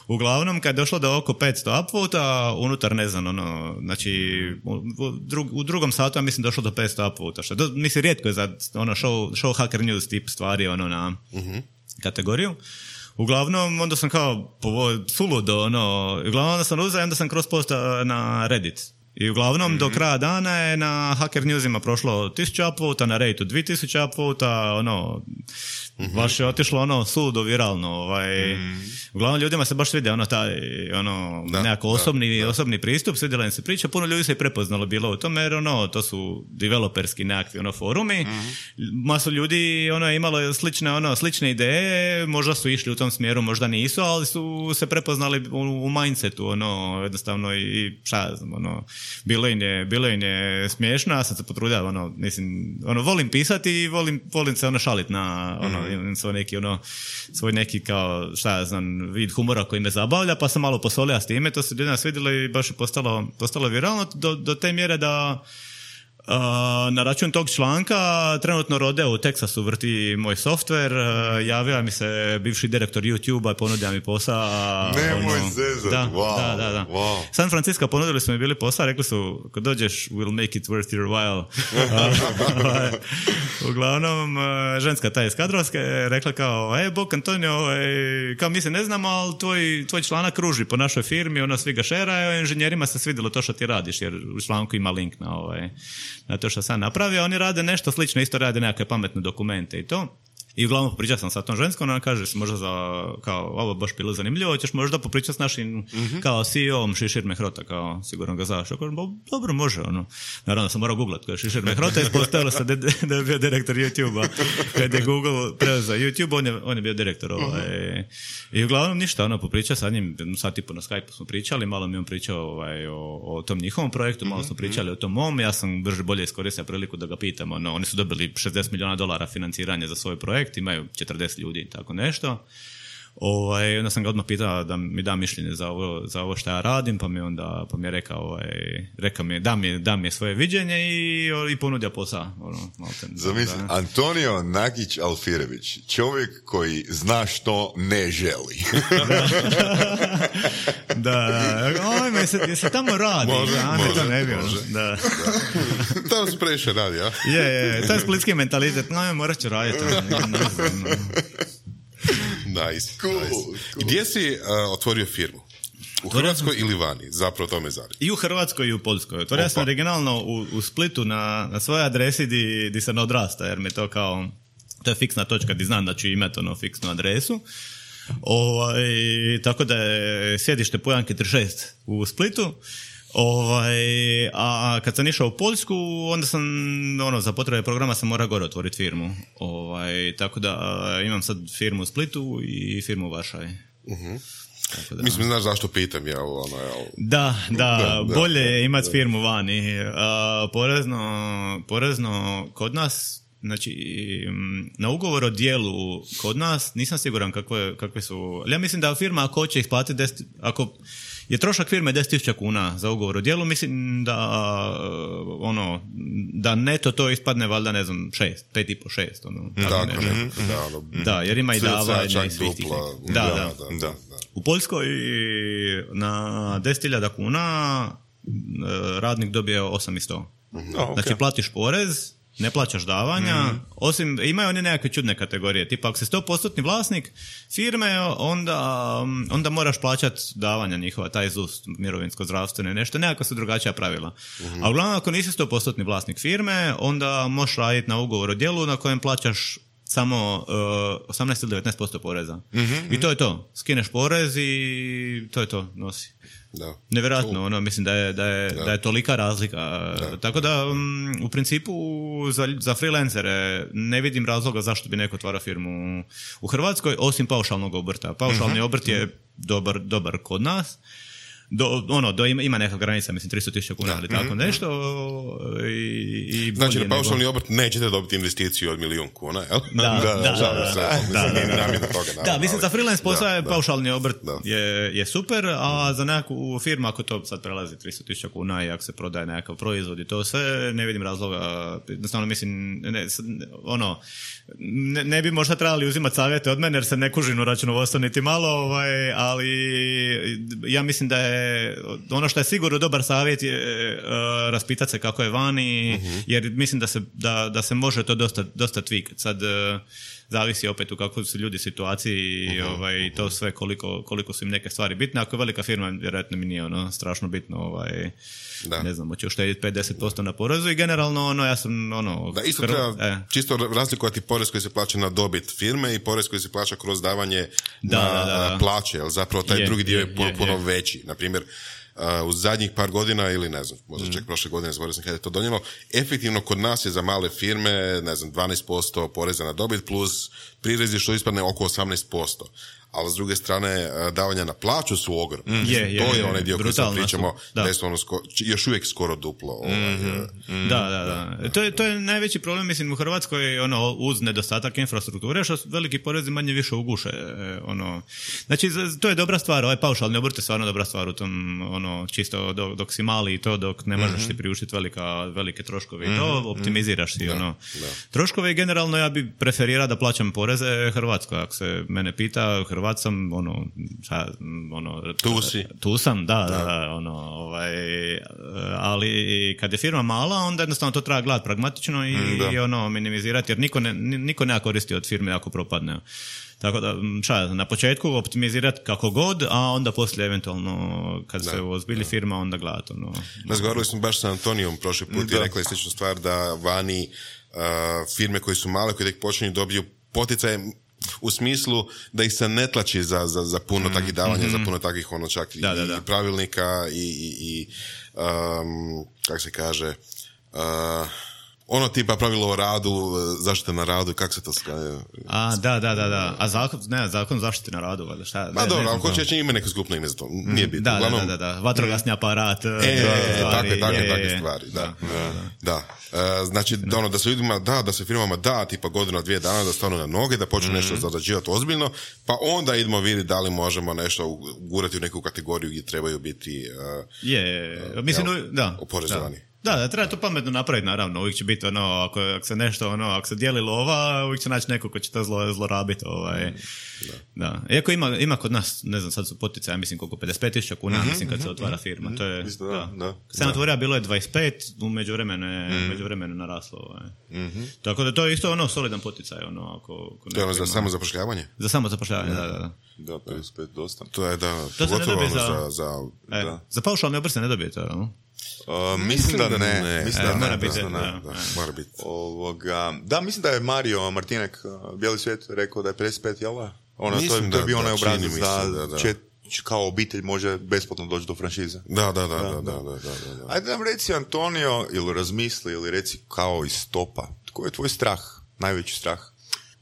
uglavnom kad je došlo do oko petsto upvota, unutar, ne znam, ono, znači, u, drug, u drugom satu, ja mislim, došlo do petsto upvota, što, do, mislim, rijetko je za, ono, show, show Hacker News tip stvari, ono, na uh-huh. kategoriju. Uglavnom, onda sam kao suludo, ono, uglavnom onda sam uzeo i onda sam cross posta na Reddit. I uglavnom, mm-hmm. do kraja dana je na Hacker Newsima prošlo tisuću upvota, na Redditu dvije tisuće upvota, ono, mm-hmm. baš je otišlo ono suludo viralno, ovaj, mm-hmm. uglavnom ljudima se baš svidio ono taj, ono, da, nekako osobni, da, da. osobni pristup, svidjela im se priča, puno ljudi se i prepoznalo bilo u tome, jer ono, to su developerski nekakvi, ono, forumi, mm-hmm. masu ljudi, ono, je imalo slične, ono, slične ideje, možda su išli u tom smjeru, možda nisu, ali su se prepoznali u, u mindsetu, ono, jednostavno i šta ja znam, ono, bilo im je, bilo im je smiješno, ja sam se potrudio, ono, mislim, ono, volim pisati i volim, volim se, ono, šaliti na, ono, mm-hmm. svoj neki, ono, svoj neki, kao, šta ja znam, vid humora koji me zabavlja, pa sam malo posolio s time, to se ljudima svidjelo i baš je postalo, postalo viralno do, do te mjere da Uh, na račun tog članka trenutno Rodeo u Teksasu vrti moj softver, uh, javio mi se bivši direktor YouTube-a i ponudio mi posao. Nemoj ono, zezat, da, wow, da, da, da. wow. San Francisco ponudili su mi bili posao, rekli su, kad dođeš, we'll make it worth your while. uh, uglavnom, uh, ženska ta iz kadrovske rekla kao, e, Bog Antonio, e, kao mi se ne znamo, ali tvoj, tvoj članak kruži po našoj firmi, ono, svi ga šeraju, inženjerima se svidjelo to što ti radiš, jer u članku ima link na ovaj, na to što sam napravio, oni rade nešto slično, isto rade nekakve pametne dokumente i to. I uglavnom popričao sam sa tom ženskom, ona kaže se možda za, kao, ovo baš bilo zanimljivo, ćeš možda popričati s našim mm-hmm. kao C E O-om Šišir Mehrota, kao sigurno ga znaš. Kažem, dobro, može, ono. Naravno sam morao googlat, kao Šišir Mehrota, ispostavilo se da, da je bio direktor YouTube-a. Kad je Google preuzeo YouTube, on je, on je bio direktor. Ovaj. I uglavnom ništa, ono, popričao sa njim, sad tipo na Skype smo pričali, malo mi on pričao ovaj, o, o tom njihovom projektu, malo smo pričali o tom mom, ja sam brže bolje iskoristio priliku da ga pitam, ono, oni su dobili šezdeset milijuna dolara financiranje za svoj projekt, imaju četrdeset ljudi i tako nešto. Ovaj, onda sam ga odmah pitao da mi da mišljenje za ovo, za ovo što ja radim, pa mi onda pa mi je rekao, ovaj, rekao mi, da mi, da mi je svoje viđenje i, i ponudio posao. Ono, Zamisli, Antonio Nagić Alfirević, čovjek koji zna što ne želi. da, da. Oj, se, se tamo radi. Može, ja, može, to ne bi, može. Da. da. Tamo se previše radi, ja? Je, je, to je splitski mentalitet, no, morat ću raditi. Nice, cool, nice. Cool. Gdje si uh, otvorio firmu? U Hrvatskoj ili vani? Zapravo to me zanima. I u Hrvatskoj i u Poljskoj. Otvorio sam originalno u, u Splitu na, na svojoj adresi di, di sam odrasta, jer mi to kao, to je fiksna točka di znam da ću imati ono fiksnu adresu. Ovaj, tako da je sjedište Pujanke trideset šest u Splitu. Ovaj, a kad sam išao u Poljsku, onda sam, ono, za potrebe programa sam morao gore otvoriti firmu. Ovaj, tako da imam sad firmu u Splitu i firmu u Varšavi. Uh-huh. Da. Mislim, znaš zašto pitam, jel? Ono, jel? Da, da, da, bolje je imati firmu vani. A, porezno, porezno kod nas, znači, na ugovor o dijelu kod nas, nisam siguran kakve, kakve su, ali ja mislim da firma ako hoće isplatiti deset, ako je trošak firme deset tisuća kuna za ugovor o dijelu, mislim da ono, da neto to ispadne valjda, ne znam, šest, pet i po šest, ono. Da, ne, ne, da, ono, da, jer ima i davanja i svih tih. Da, da, da, da, da. U Poljskoj na deset hiljada kuna radnik dobije osam i sto. Oh, okay. Znači platiš porez, ne plaćaš davanja, mm. osim, imaju oni nekakve čudne kategorije, tipa ako si sto posto vlasnik firme, onda, onda moraš plaćati davanja njihova, taj Z U S, mirovinsko, zdravstveno i nešto, nekako su drugačija pravila. Mm-hmm. A uglavnom, ako nisi sto posto vlasnik firme, onda možeš raditi na ugovor o djelu na kojem plaćaš samo uh, osamnaest ili devetnaest posto poreza. Mm-hmm. I to je to. Skineš porez i to je to, nosi. Da. Nevjerojatno, ono, mislim da je, da je, da. da je tolika razlika. Da. Tako da, um, u principu, za, za freelancere ne vidim razloga zašto bi neko otvarao firmu u Hrvatskoj, osim paušalnog obrta. Paušalni mm-hmm. obrt je dobar, dobar kod nas. Do, ono, do, ima, ima neka granica, mislim, tristo tisuća kuna, ali tako nešto. I, i znači, na paušalni obrt nećete dobiti investiciju od milijun kuna, jel? Da, da, da. Da, mislim, za freelance posao je paušalni obrt je, je super, a za nekakvu firmu, ako to sad prelazi tristo tisuća kuna i ako se prodaje nekakav proizvod i to sve, ne vidim razloga. Jednostavno, mislim, ne, ono, ne, ne bi možda trebali uzimati savjete od mene, jer se ne kužim u računovodstvo niti malo, ovaj, ali ja mislim da je ono što je sigurno dobar savjet je uh, raspitati se kako je vani, uh-huh. jer mislim da se, da, da se može to dosta, dosta tweakat. Sad uh, zavisi opet u kakvoj su ljudi situaciji i uh-huh. ovaj, to sve koliko, koliko su im neke stvari bitne. Ako je velika firma, vjerojatno mi nije ono strašno bitno, ovaj, da. Ne znam, hoće uštediti pet do deset posto na porezu i generalno ono, ja sam ono... Da, isto treba eh. čisto razlikovati porez koji se plaća na dobit firme i porez koji se plaća kroz davanje da, na da, da. plaće, jer zapravo taj je, drugi dio je, je puno, je, puno je. veći. Naprimjer, Uh, u zadnjih par godina ili ne znam, možda mm. čak prošle godine, zaboravio sam kada je to donijelo, efektivno kod nas je za male firme, ne znam, dvanaest posto poreza na dobit plus prirezi što ispadne oko osamnaest posto. Ali s druge strane, davanja na plaću su ogromne. Mm. Je, je, to je onaj dio koji sad pričamo, da je ono sko- još uvijek skoro duplo. Ovaj, mm-hmm. mm. Da, da, da. To je, to je najveći problem, mislim, u Hrvatskoj, ono, uz nedostatak infrastrukture, što veliki porezi manje više uguše. Ono. Znači, to je dobra stvar, ovaj paušalni obrt je stvarno dobra stvar u tom, ono, čisto dok, dok si mali i to, dok ne možeš mm-hmm. ti priuštiti velika, velike troškove i to, optimiziraš si, da, ono. Da. Troškove i generalno ja bi preferirao da plaćam poreze Hrvatskoj, ako se mene pita, Hrvat sam, ono, šta, ono, tu si. Tu sam, da, da, da, ono, ovaj, ali kad je firma mala, onda jednostavno to treba gledati pragmatično i, i ono, minimizirati, jer niko ne, niko nema koristi od firme ako propadne. Tako da, šta, na početku optimizirati kako god, a onda poslije eventualno, kad da, se ozbilji firma, onda gledati, ono. Razgovarali smo baš sa Antonijom prošli put da. i rekli sličnu stvar da vani uh, firme koje su male, koje tek počinju dobiju poticaje u smislu da ih se ne tlači za, za, za puno mm, takvih davanja, mm-hmm. za puno takvih ono čak da, i, da, da. i pravilnika i, i, i um, kako se kaže uh, ono tipa pravilo o radu, zaštite na radu, kako se to skaje? A, da, da, da, da. A zakon, ne, zakon zaštite na radu, valjda, šta? Ma dobro, ako hoće će ima neko skupno ime za to, nije bitno. Da, Uglavnom, da, da, da, vatrogasni aparat. E, e, takve, takve, takve stvari, da. Da, da, da. da. E, znači, da. ono, da se ljudima da, da se firmama da, tipa godina, dvije dana, da stanu na noge, da počnu mm-hmm. nešto zarađivati ozbiljno, pa onda idemo vidjeti da li možemo nešto ugurati u neku kategoriju gdje trebaju biti uh, je, uh, mislim, jel, da, oporezovani. Da. Da, da, treba to pametno napraviti, naravno, uvijek će biti ono, ako, ako se nešto, ono, ako se dijeli lova, uvijek će naći neko ko će to zlo, zlorabiti, ovaj, mm, da. da. Iako ima, ima kod nas, ne znam, sad su poticaje, mislim, koliko, pedeset pet tisuća kuna, mm-hmm, mislim, kad mm-hmm, se otvara firma, mm-hmm, to je, da, da. da. Kad se otvorio, bilo je dvadeset pet, u međuvremenu je, mm-hmm. međuvremenu naraslo, ovaj. Mm-hmm. Tako da to je isto, ono, solidan poticaj, ono, ako... ako to je ono za samo zapošljavanje? Za samo zapošljavanje, da, da, da. Da, pedeset pet dosta. To je, da, to pogotovo za, za... Za, e, da. za paušalni obrt se ne dobijete, ali? Uh, mislim da ne, ne. Mislim da, e, ne. Mora biti, da, da, da, da, mora biti. Ovoga, da, mislim da je Mario Martinek, Bijeli svijet, rekao da je pedeset pet, jel da? Ono, mislim to je, to je bio onaj obrazac da, da, da. Čet, kao obitelj može besplatno doći do franšize. Da, da, da, da, da, da, da, da, da. Ajde nam reci, Antonio, ili razmisli, ili reci kao iz stopa. Koji je tvoj strah, najveći strah?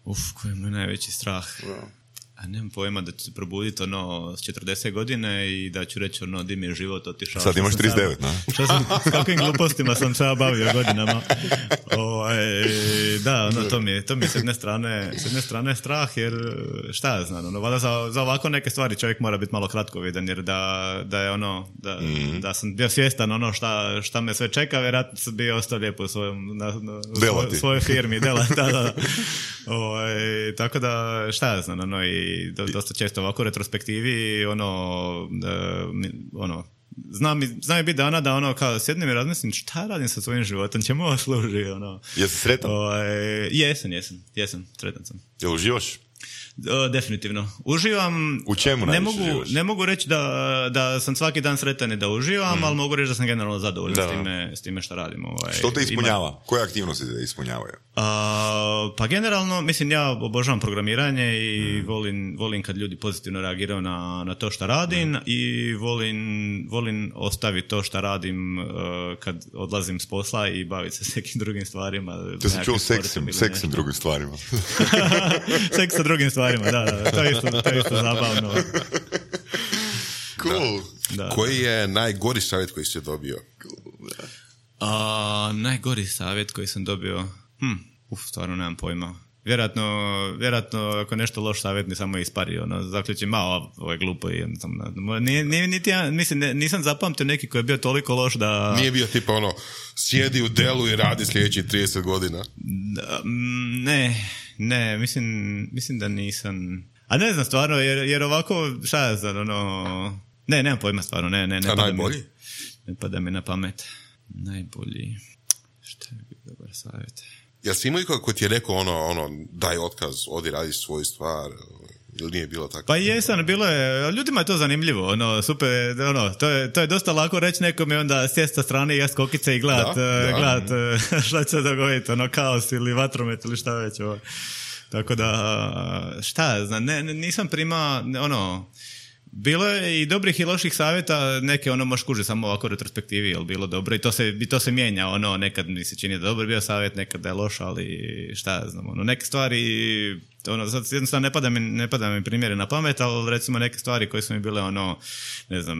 Uf, koji je moj najveći strah? Da. A nemam pojma da ću se probuditi ono s četrdeset godine i da ću reći ono di mi je život otišao. Sad imaš trideset devet, na? Što sam, s kakvim glupostima sam se bavio godinama. O, e, da, ono, to mi je, to mi je s jedne strane, s jedne strane strah, jer šta ja znam, ono, valjda za, za ovako neke stvari čovjek mora biti malo kratkovidan, jer da, da je ono, da, mm. da sam bio svjestan ono šta, šta me sve čeka, vjerojatno sam bio ostao lijepo u svojom, na, na, svoj, svojoj firmi, dela, da, da. O, e, tako da, šta ja znam, ono, i do, dosta često ovako u retrospektivi ono, uh, ono znam, znam je biti dana da ono kao sjednem i razmislim šta radim sa svojim životom, čemu ovo služi, ono. Jesi sretan? O, jesam, jesam, jesam, sretan sam. Jel uživaš? O, definitivno. Uživam... U čemu ne najviše mogu, uživaš? Ne mogu reći da, da sam svaki dan sretan i da uživam, mm. ali mogu reći da sam generalno zadovoljan s time, s time što radim. Ovaj. Što te ispunjava? Ima... Koje aktivnosti te ispunjavaju? A, pa generalno, mislim, ja obožavam programiranje i mm. volim, volim kad ljudi pozitivno reagiraju na, na to što radim mm. i volim, volim ostaviti to što radim uh, kad odlazim s posla i baviti se s nekim drugim stvarima. To sam čuo seksim, seksim drugim stvarima. Seks sa drugim stvarima, da, da, to je isto, to je isto zabavno. Cool. Da. Da. Koji je najgori savjet koji si dobio? A, najgori savjet koji sam dobio? Hm, uf, stvarno nemam pojma. Vjerojatno, vjerojatno ako nešto loš savjet ni samo ispari, ono, zaključim, ma, ovo je glupo i nije, nije, niti ja, mislim, ne, nisam zapamtio neki koji je bio toliko loš da... Nije bio tipa ono, sjedi u Dellu i radi sljedećih trideset godina? Da, ne, ne, mislim, mislim da nisam... A ne znam stvarno, jer, jer ovako, šta ja znam, ono... Ne, nemam pojma stvarno, ne, ne, ne. A najbolji? Mi, ne pada mi na pamet. Najbolji... Šta je bio dobar savjet? Jel si imao ko ti je rekao ono, ono, daj otkaz, odi radi svoju stvar, ili nije bilo tako? Pa jesam, bilo je, ljudima je to zanimljivo, ono, super, ono, to je, to je dosta lako reći nekome onda sjest sa strane i jest kokice i gledat, da, uh, gledat uh, šta će se dogoditi, ono, kaos ili vatromet ili šta već, ovo. Tako da, šta, znam, ne, nisam prima, ono, bilo je i dobrih i loših savjeta, neke ono možeš kužiti samo ovako u retrospektivi, jel bilo dobro i to se, i to se mijenja, ono, nekad mi se čini da dobro bio savjet, nekad da je loš, ali šta znam, ono, neke stvari, ono, sad jednostavno ne pada mi, ne pada mi primjere na pamet, ali recimo neke stvari koje su mi bile, ono, ne znam,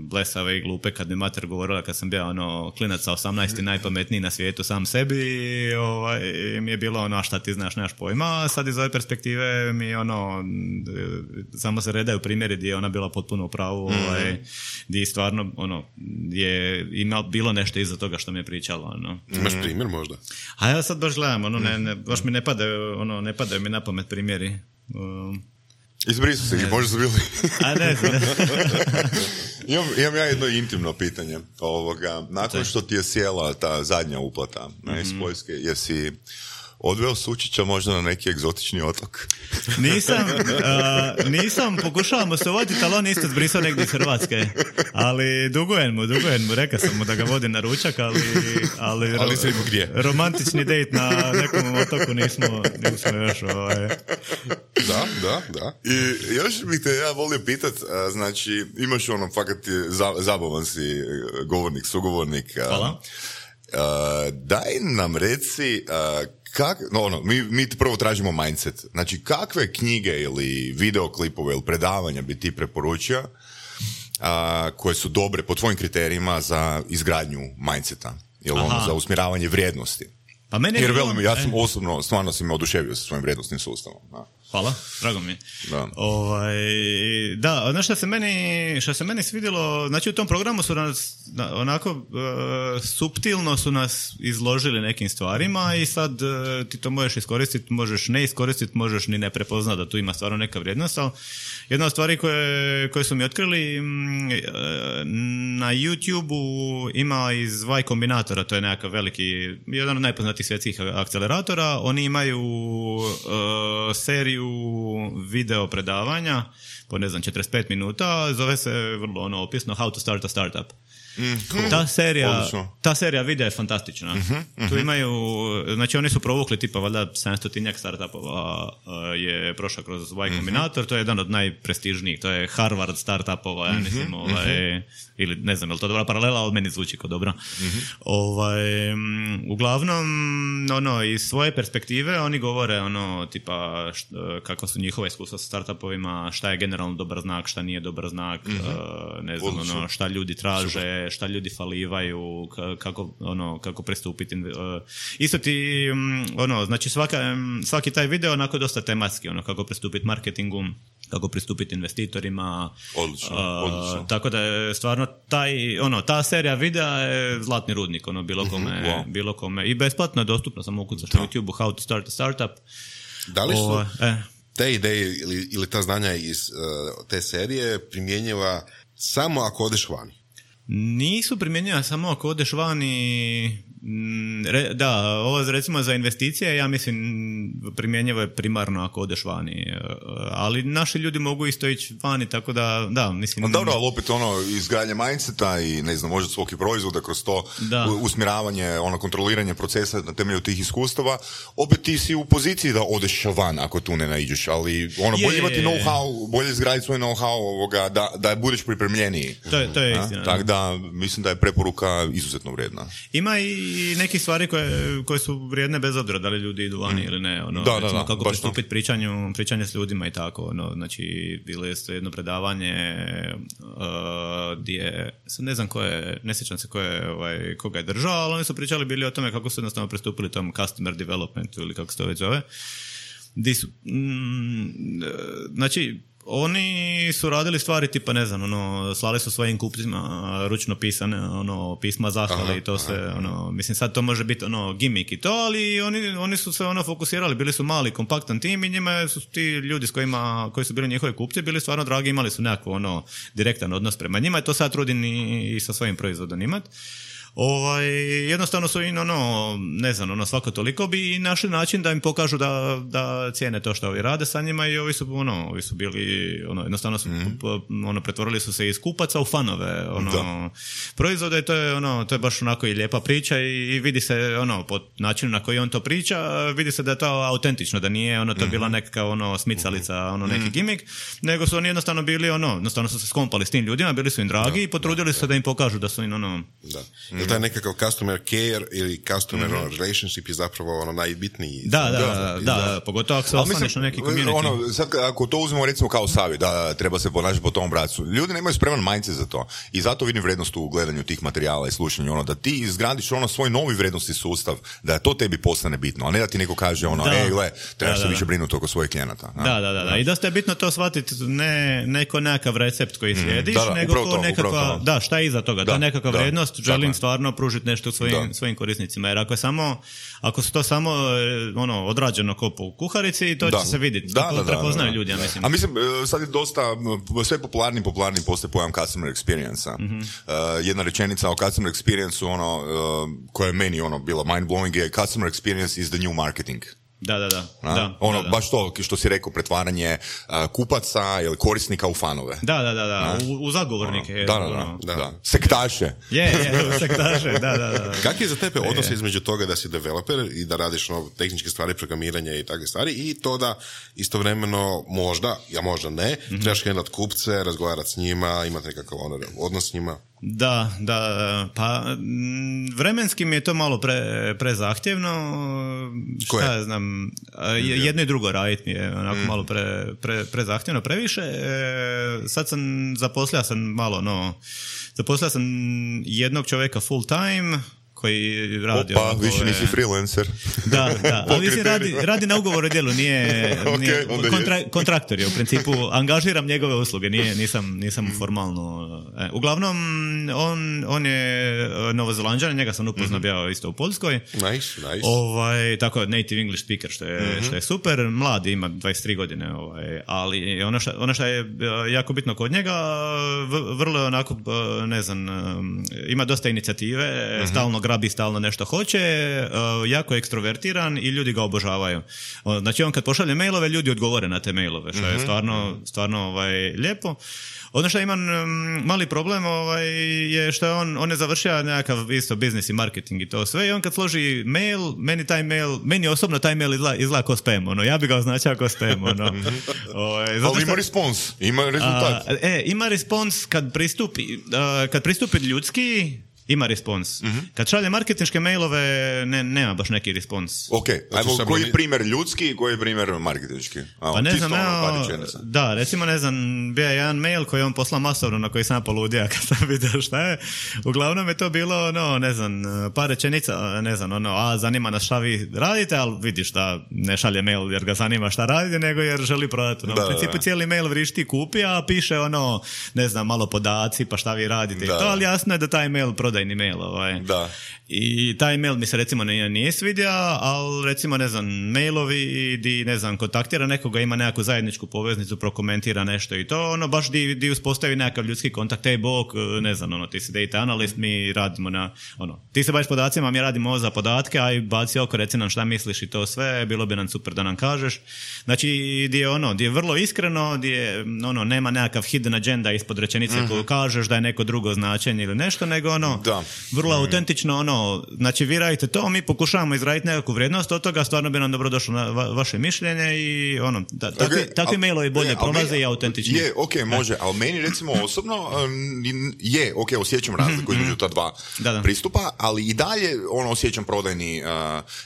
blesave i glupe kad mi mater govorila kad sam bio, ono, klinac sa osamnaest i najpametniji na svijetu sam sebi, ovaj, mi je bilo, ono, a šta ti znaš, nemaš pojma, sad iz ove perspektive mi, ono, samo se redaju primjeri gdje je ona bila potpuno u pravu, ovaj, mm. gdje stvarno, ono, je ima bilo nešto iza toga što mi je pričalo, ono. Imaš primjer možda? A ja sad baš gledam, ono, ne, ne, baš mi ne padaju, ono, ne padaju mi na pamet primjeri. Um, Izbrisu se ih, možda su bili. A ne znam. imam, imam ja jedno intimno pitanje. Ovoga, nakon što ti je sjela ta zadnja uplata mm-hmm. iz Poljske, jesi odveo Sučića možda na neki egzotični otok? Nisam, uh, nisam, pokušavamo se voditi, ali on isto zbrisao negdje iz Hrvatske. Ali dugujem mu, dugujem mu, rekao sam mu da ga vodi na ručak, ali, ali, ro, ali gdje? romantični dejt na nekom otoku nismo, nismo još ovaj. Da, da, da. I još bih te ja volio pitat, znači imaš ono, fakat za, zabavan si govornik, sugovornik. Hvala. Uh, daj nam reci, uh, kak, no, ono, mi, mi prvo tražimo mindset. Znači, kakve knjige ili videoklipove ili predavanja bi ti preporučio uh, koje su dobre po tvojim kriterijima za izgradnju mindseta ili ono, za usmjeravanje vrijednosti? Pa meni jer velim, ja sam osobno, stvarno sam me oduševio sa svojim vrijednostnim sustavom. Da. Hvala, drago mi je. Da. Ovaj, da, ono što se meni, što se meni svidjelo, znači u tom programu su nas, onako, uh, suptilno su nas izložili nekim stvarima i sad uh, ti to možeš iskoristiti, možeš ne iskoristiti, možeš ni ne prepoznati da tu ima stvarno neka vrijednost, ali jedna od stvari koje, koje su mi otkrili, m, na YouTube-u ima iz Y Kombinatora, to je nekakav veliki, jedan od najpoznatijih svjetskih akceleratora, oni imaju uh, seriju video predavanja po ne znam četrdeset pet minuta, zove se vrlo ono opisno How to start a startup. Mm-hmm. Ta serija, ta serija videa je fantastična. Mm-hmm, mm-hmm. Tu imaju, znači oni su provukli tipa valjda sedamstotinjak startupova je prošao kroz Y Kombinator, mm-hmm. to je jedan od najprestižnijih, to je Harvard startupova, ja mislim, mm-hmm. ovaj, ili ne znam, je li to dobra paralela, ali meni zvuči kao dobro. Mm-hmm. Ovaj, uglavnom, ono, iz svoje perspektive oni govore ono, tipa št, kako su njihova iskustva sa startupovima, šta je generalno dobar znak, šta nije dobar znak, mm-hmm. uh, ne znam, ono, šta ljudi traže, šta ljudi falivaju, kako, ono, kako pristupiti. Isto ti, ono, znači svaka, svaki taj video onako dosta tematski, ono, kako pristupiti marketingu, kako pristupiti investitorima. Odlično, uh, odlično. Tako da je stvarno taj, ono, ta serija videa je zlatni rudnik, ono, bilo kome, mm-hmm, wow. bilo kome. I besplatno je dostupno, samo ukucaš na YouTube-u How to start a startup. Da li su o, eh. te ideje ili, ili ta znanja iz uh, te serije primjenjiva samo ako odeš vani? Nisu primjenjiva samo ako odeš vani. Re, da, ovo recimo za investicije, ja mislim primjenjivo je primarno ako odeš vani, ali naši ljudi mogu isto ići vani, tako da, da, mislim... No, dobro, ali opet ono, izgradnje mindseta i, ne znam, možda svog proizvoda kroz to da. usmjeravanje, ono, kontroliranje procesa na temelju tih iskustava, opet ti si u poziciji da odeš van ako tu ne naiđeš, ali ono, bolje imati know-how, bolje izgraditi svoj know-how ovoga, da, da budeš pripremljeniji. To je, to je istina. Tako da, mislim da je preporuka izuzetno vrijedna. Ima i i neke stvari koje, koje su vrijedne bez obzira da li ljudi idu vani mm. ili ne, ono, da, recimo, da, da, kako pristupiti pričanju, pričanje s ljudima i tako, ono, znači bilo je jedno predavanje uh, gdje, sad ne znam ko je, ne sjećam se ko je, ovaj, koga je držao, ali oni su pričali bili o tome kako su jednostavno pristupili tom customer developmentu ili kako se to već zove, di su, mm, znači oni su radili stvari tipa, ne znam, ono, slali su svojim kupcima ručno pisane, ono, pisma zahvale i to se, aha. ono, mislim sad to može biti, ono, gimmick i to, ali oni, oni su se, ono, fokusirali, bili su mali, kompaktan tim i njima su ti ljudi s kojima, koji su bili njihovi kupci, bili stvarno dragi, imali su nekako, ono, direktan odnos prema njima i to sad trudim i, i sa svojim proizvodom imati. Ovaj, jednostavno su im, ono, ne znam, ono, svako toliko bi našli način da im pokažu da, da cijene to što ovi rade sa njima i ovi su, ono, ovi su bili, ono, jednostavno su, mm. po, ono, pretvorili su se iz kupaca u fanove, ono, da. proizvode i to je, ono, to je baš onako i lijepa priča i, i vidi se, ono, po načinu na koji on to priča, vidi se da je to autentično, da nije, ono, to mm-hmm. bila neka, ono, smicalica, ono, neki mm. gimmick, nego su oni jednostavno bili, ono, jednostavno su se skompali s tim ljudima, bili su im dragi da, i potrudili da, se da. da im pokažu da su im, ono, da. Mm. Taj nekakav customer care ili customer mm-hmm. relationship je zapravo ono najbitniji. Da, da, da, da, da, pogotovo ako se ostaneš na neki community. Ono, sad, ako to uzmemo recimo kao savjet, da treba se ponašati po tom bracu, ljudi nemaju spreman mindset za to i zato vidim vrijednost u gledanju tih materijala i slušanju, ono, da ti izgradiš ono svoj novi vrijednosti sustav, da to tebi postane bitno, a ne da ti neko kaže ono, ej, gle, trebaš se više brinuti oko svojih klijenata. Da, da, da, da, i dosta je bitno to shvatiti, ne neko nekakav recept koji slijediš, mm, da, da, nego ko nekakva, da, šta je iza toga, da, ta nekakva da, vrijednost, želim stvarno pružiti nešto svojim, svojim korisnicima, jer ako je samo, ako su to samo ono, odrađeno ko po kuharici, to da. će se vidjeti. Da, da, da, prepoznaju ljudi, ja mislim. A mislim, sad je dosta, sve popularni, popularni postoje pojam customer experience-a. Mm-hmm. Uh, jedna rečenica o customer experience-u, ono, uh, koja je meni ono, bila mind-blowing je customer experience is the new marketing. Da, da, da. da ono, da, da. baš to što si rekao, pretvaranje uh, kupaca ili korisnika u fanove. Da, da, da, da. U, u zagovornike. Ono, da, da, da, da, da. Sektaše. Je, je, sektaše, da, da, da. Kak je za tebe odnos između toga da si developer i da radiš ono, tehničke stvari, programiranja i takve stvari i to da istovremeno možda, ja možda ne, mm-hmm. trebaš handlat kupce, razgovarati s njima, imati nekakav ono, odnos s njima? Da, da, pa vremenski mi je to malo pre, prezahtjevno, šta ja znam, jedno i drugo raditi mi je onako mm. malo pre, pre, prezahtjevno, previše. E, sad sam, zaposlio sam malo, no, zaposlio sam jednog čovjeka full time, koji radi... Opa, više nisi freelancer. Da, da, ali mislim radi, radi na ugovoru djelu, nije, okay, nije kontra, kontraktor je u principu, angažiram njegove usluge, nije, nisam, nisam formalno... E, uglavnom, on, on je Novozelanđan, njega sam upoznao bio mm-hmm. isto u Poljskoj. Nice, nice. Ovaj, tako, native English speaker, što je, mm-hmm. što je super, mlad, ima dvadeset tri godine, ovaj, ali ono što, ono što je jako bitno kod njega, vrlo je onako, ne znam, ima dosta inicijative, mm-hmm. stalno grabi, stalno nešto hoće, uh, jako je ekstrovertiran i ljudi ga obožavaju. Uh, znači on kad pošalje mailove, ljudi odgovore na te mailove, što mm-hmm. je stvarno, stvarno ovaj, lijepo. Ono što imam um, mali problem ovaj, je što je on, on je završio nekakav isto biznis i marketing i to sve i on kad složi mail, meni taj mail, meni osobno taj mail izgleda, izgleda kao spam, ono, ja bi ga označao kao spam, ono. ovaj, ali ima respons, ima rezultat. A, e, ima respons kad pristupi, uh, kad pristupi ljudski, ima respons. Mm-hmm. Kad šalje marketinške mailove, ne, nema baš neki respons. Ok, ajmo, koji je primjer ljudski i koji je primjer marketinški? A, pa ne znam, evo, da, recimo, ne znam, bio je jedan mail koji je on poslao masovno na koji sam poludija kad sam vidio šta je. Uglavnom je to bilo, no, ne znam, par rečenica, ne znam, ono, a zanima nas šta vi radite, ali vidiš da ne šalje mail jer ga zanima šta radite, nego jer želi prodati. No, da, u principu da. Cijeli mail vrišti kupi, a piše ono, ne znam, malo podaci, pa šta vi radite da. I to, ali jasno je da taj mail prodaje prodajni mail. Ovaj. Da. I taj mail mi se recimo nije, nije svidio, ali recimo, ne znam, mailovi di, ne znam, kontaktira nekoga, ima nekakvu zajedničku poveznicu, prokomentira nešto i to, ono, baš di, di uspostavi nekakav ljudski kontakt, ej, bok, ne znam, ono, ti si data analyst, mi radimo na, ono, ti se baviš podacima, mi radimo ovo za podatke, aj baci oko, reci nam šta misliš i to sve, bilo bi nam super da nam kažeš. Znači, di je ono, di je vrlo iskreno, di je, ono, nema nekakav hidden agenda ispod rečenice mm-hmm. koju kažeš da je neko drugo značenje ili nešto, nego ono, da. vrlo mm-hmm. autentično, ono, znači vi radite to, mi pokušavamo izraditi nekakvu vrijednost od toga, stvarno bi nam dobro došlo na va- vaše mišljenje i ono, da, takvi, okay, takvi al, mailovi bolje je, prolaze meni, i autentični. Je, ok, može, ali meni recimo osobno je, ok, osjećam razliku mm-hmm. između ta dva da, da. pristupa, ali i dalje ono osjećam prodajni uh,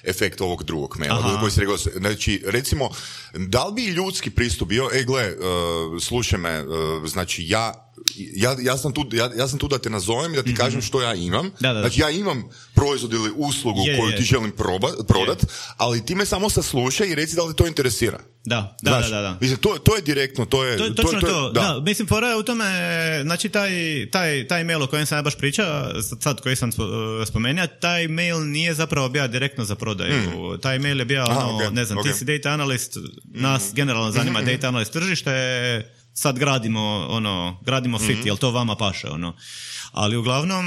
efekt ovog drugog maila, koji si rekao, znači recimo, da li bi ljudski pristup bio, e gle, uh, slušaj me, uh, znači ja Ja, ja, sam tu, ja, ja sam tu da te nazovem i da ti mm-hmm. kažem što ja imam. Da, da, da. Znači ja imam proizvod ili uslugu je, koju je. ti želim proba, prodat, je. ali ti me samo saslušaj i reci da li to interesira. Da, da, Znaš, da, da, da. Mislim, to, to je direktno, to je... To, to, točno to, to, to da. da. Mislim, fora je u tome, znači taj, taj, taj mail o kojem sam ja baš pričao, sad koji sam spomenuo, taj mail nije zapravo bio direktno za prodaju. Mm. Taj mail je bio, ono, Aha, okay, ne znam, okay. ti si data analyst, nas mm. generalno zanima mm-hmm. data analyst tržište, sad gradimo, ono, gradimo fit, mm-hmm. jel to vama paše, ono. Ali uglavnom,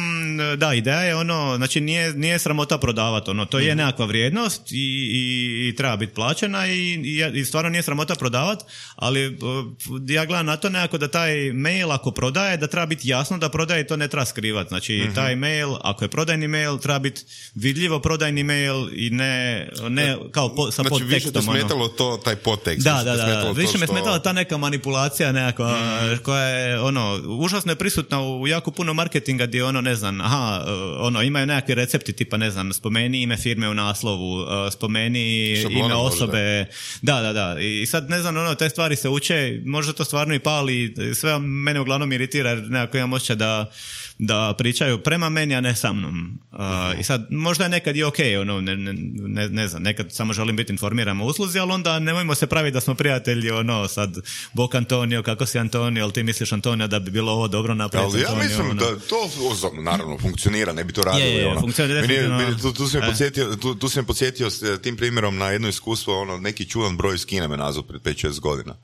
da, ideja je ono, znači nije, nije sramota prodavati, ono, to mm-hmm. je nekakva vrijednost i, i, i treba biti plaćena i, i, i stvarno nije sramota prodavati, ali ja gledam na to nekako da taj mail ako prodaje, da treba biti jasno da prodaje, to ne treba skrivati, znači mm-hmm. taj mail, ako je prodajni mail, treba biti vidljivo prodajni mail i ne, ne kao po, sa znači, podtekstom. Znači više te smetalo to, taj podtekst. Da, da, da, da. više me što... smetala ta neka manipulacija nekakva, mm-hmm. koja je, ono, užasno je prisutna u jako puno marketinga gdje ono, ne znam, aha, ono, imaju nekakvi recepti tipa, ne znam, spomeni ime firme u naslovu, spomeni Šablona ime osobe, da, da, da, i sad, ne znam, ono, te stvari se uče, možda to stvarno i pali, sve mene uglavnom iritira, jer nekako imam osjećaj da da pričaju prema meni, a ne sa mnom. Uh, uh-huh. I sad, možda je nekad i ok, ono, ne, ne, ne znam, nekad samo želim biti informiran o usluzi, ali onda nemojmo se praviti da smo prijatelji, ono, sad, bok Antonio, kako si Antonio, ali ti misliš, Antonio, da bi bilo ovo dobro napraviti. Ali ja Antonio, mislim ono. Da to, naravno, funkcionira, ne bi to radilo. Je, je, ono. funkcionira definitivno. Meni, tu, tu, si me podsjetio, tu, tu si me podsjetio s tim primjerom na jedno iskustvo, ono, neki čudan broj iz Kine me nazvao pred pet šest godina.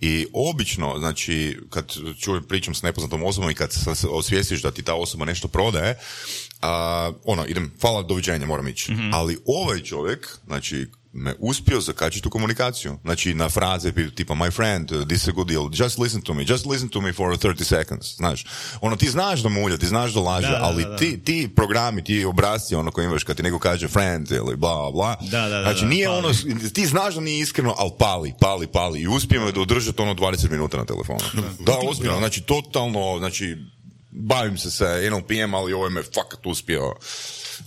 I obično, znači, kad čujem, pričam s nepoznatom osobom i kad se osvijestiš da ti ta osoba nešto prodaje, uh, ono, idem, hvala, doviđenja, moram ići. Mm-hmm. Ali ovaj čovjek, znači, me uspio zakačiti u komunikaciju. Znači, na fraze tipa, my friend, this is a good deal, just listen to me, just listen to me for thirty seconds, znaš. Ono, ti znaš da mulja, ti znaš da laže, da, ali da, da. Ti, ti programi, ti obrazci, ono koji imaš kad ti neko kaže friend ili bla, bla, da, da, znači, nije da, ono, ti znaš da nije iskreno, ali pali, pali, pali i uspijemo da održati ono dvadeset minuta na telefonu. Da, da ozbiljno, znači, totalno, znači, bavim se sa N L P M, ali ovo je me fakat uspio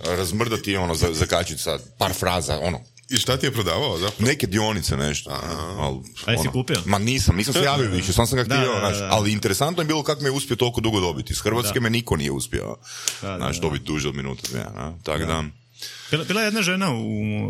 razmrdati, ono, zakačiti sa par fraza, ono. I šta ti je prodavao zapravo? Neke dionice, nešto. Al, a jesi kupio? Ma nisam, nisam se javio više, sam sam ga htio, da, da, da. Ali interesantno je bilo kako me je uspio toliko dugo dobiti. Iz Hrvatske da. me niko nije uspio, znaš, dobiti duže od minuta, dvije, tako da... Bila, bila je jedna žena u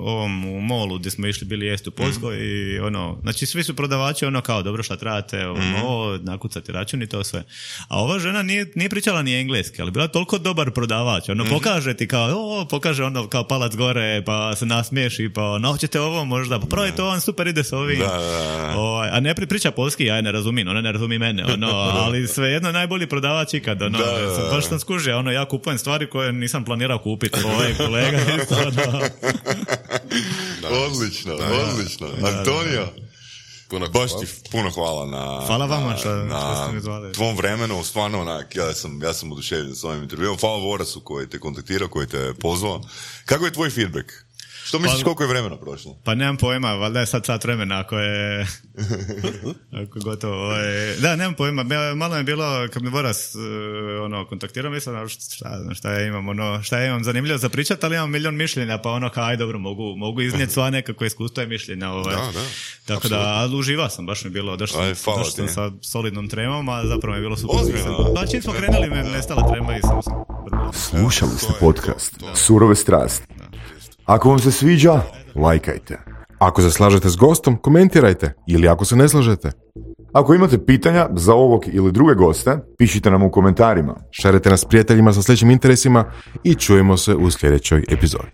ovom u molu gdje smo išli bili jesti u Poljskoj mm. i ono, znači svi su prodavači ono kao dobro šta trebate, ovo, mm. ovo nakucati račun i to sve. A ova žena nije, nije pričala ni engleski, ali bila toliko dobar prodavač, ono mm. pokaže ti kao, o, pokaže ono kao palac gore, pa se nasmiješi, pa no, hoćete ovo možda, pa probajte ovo, super ide s ovim. Da, da, da. O, a ne priča polski, ja je ne razumijem, ona ne razumi mene, ono, ali svejedno najbolji prodavač ikad, ono, da, da, da. Baš sam skužio, ono, ja kupujem stvari koje nisam planirao kupiti, ovaj kolega. Odlično, odlično. Antonio, puno baš ti puno hvala na, hvala vama što, na, što ste mi zvali. Tvom vremenu, stvarno onak, ja sam, ja sam oduševljen s ovim intervjuom. Hvala Vorasu koji te kontaktirao, koji te pozvao. Kako je tvoj feedback? Što misliš, pa, koliko je vremena prošlo? Pa nemam pojma, valjda je sad sat vremena ako je, ako je gotovo. Je, da, nemam pojma, malo je bilo, kad mi Boras uh, ono, kontaktirao, mislim, šta, šta ja imam, ono, šta ja imam zanimljivo za pričat, ali imam milion mišljenja, pa ono, kaj, dobro, mogu, mogu iznijeti sva nekako iskustva i mišljenja. Ovaj. Da, da. Tako absolutno. Da, ali uživa sam, baš mi je bilo, došao sam sa solidnom tremom, a zapravo mi je bilo super. Pa čim smo krenuli, me nestala trema i sam sam. Slušali ste podcast Surove strasti. Ako vam se sviđa, lajkajte. Ako se slažete s gostom, komentirajte. Ili ako se ne slažete, Ako imate pitanja za ovog ili druge goste, pišite nam u komentarima. Šarite nas prijateljima sa sličnim interesima i čujemo se u sljedećoj epizodi.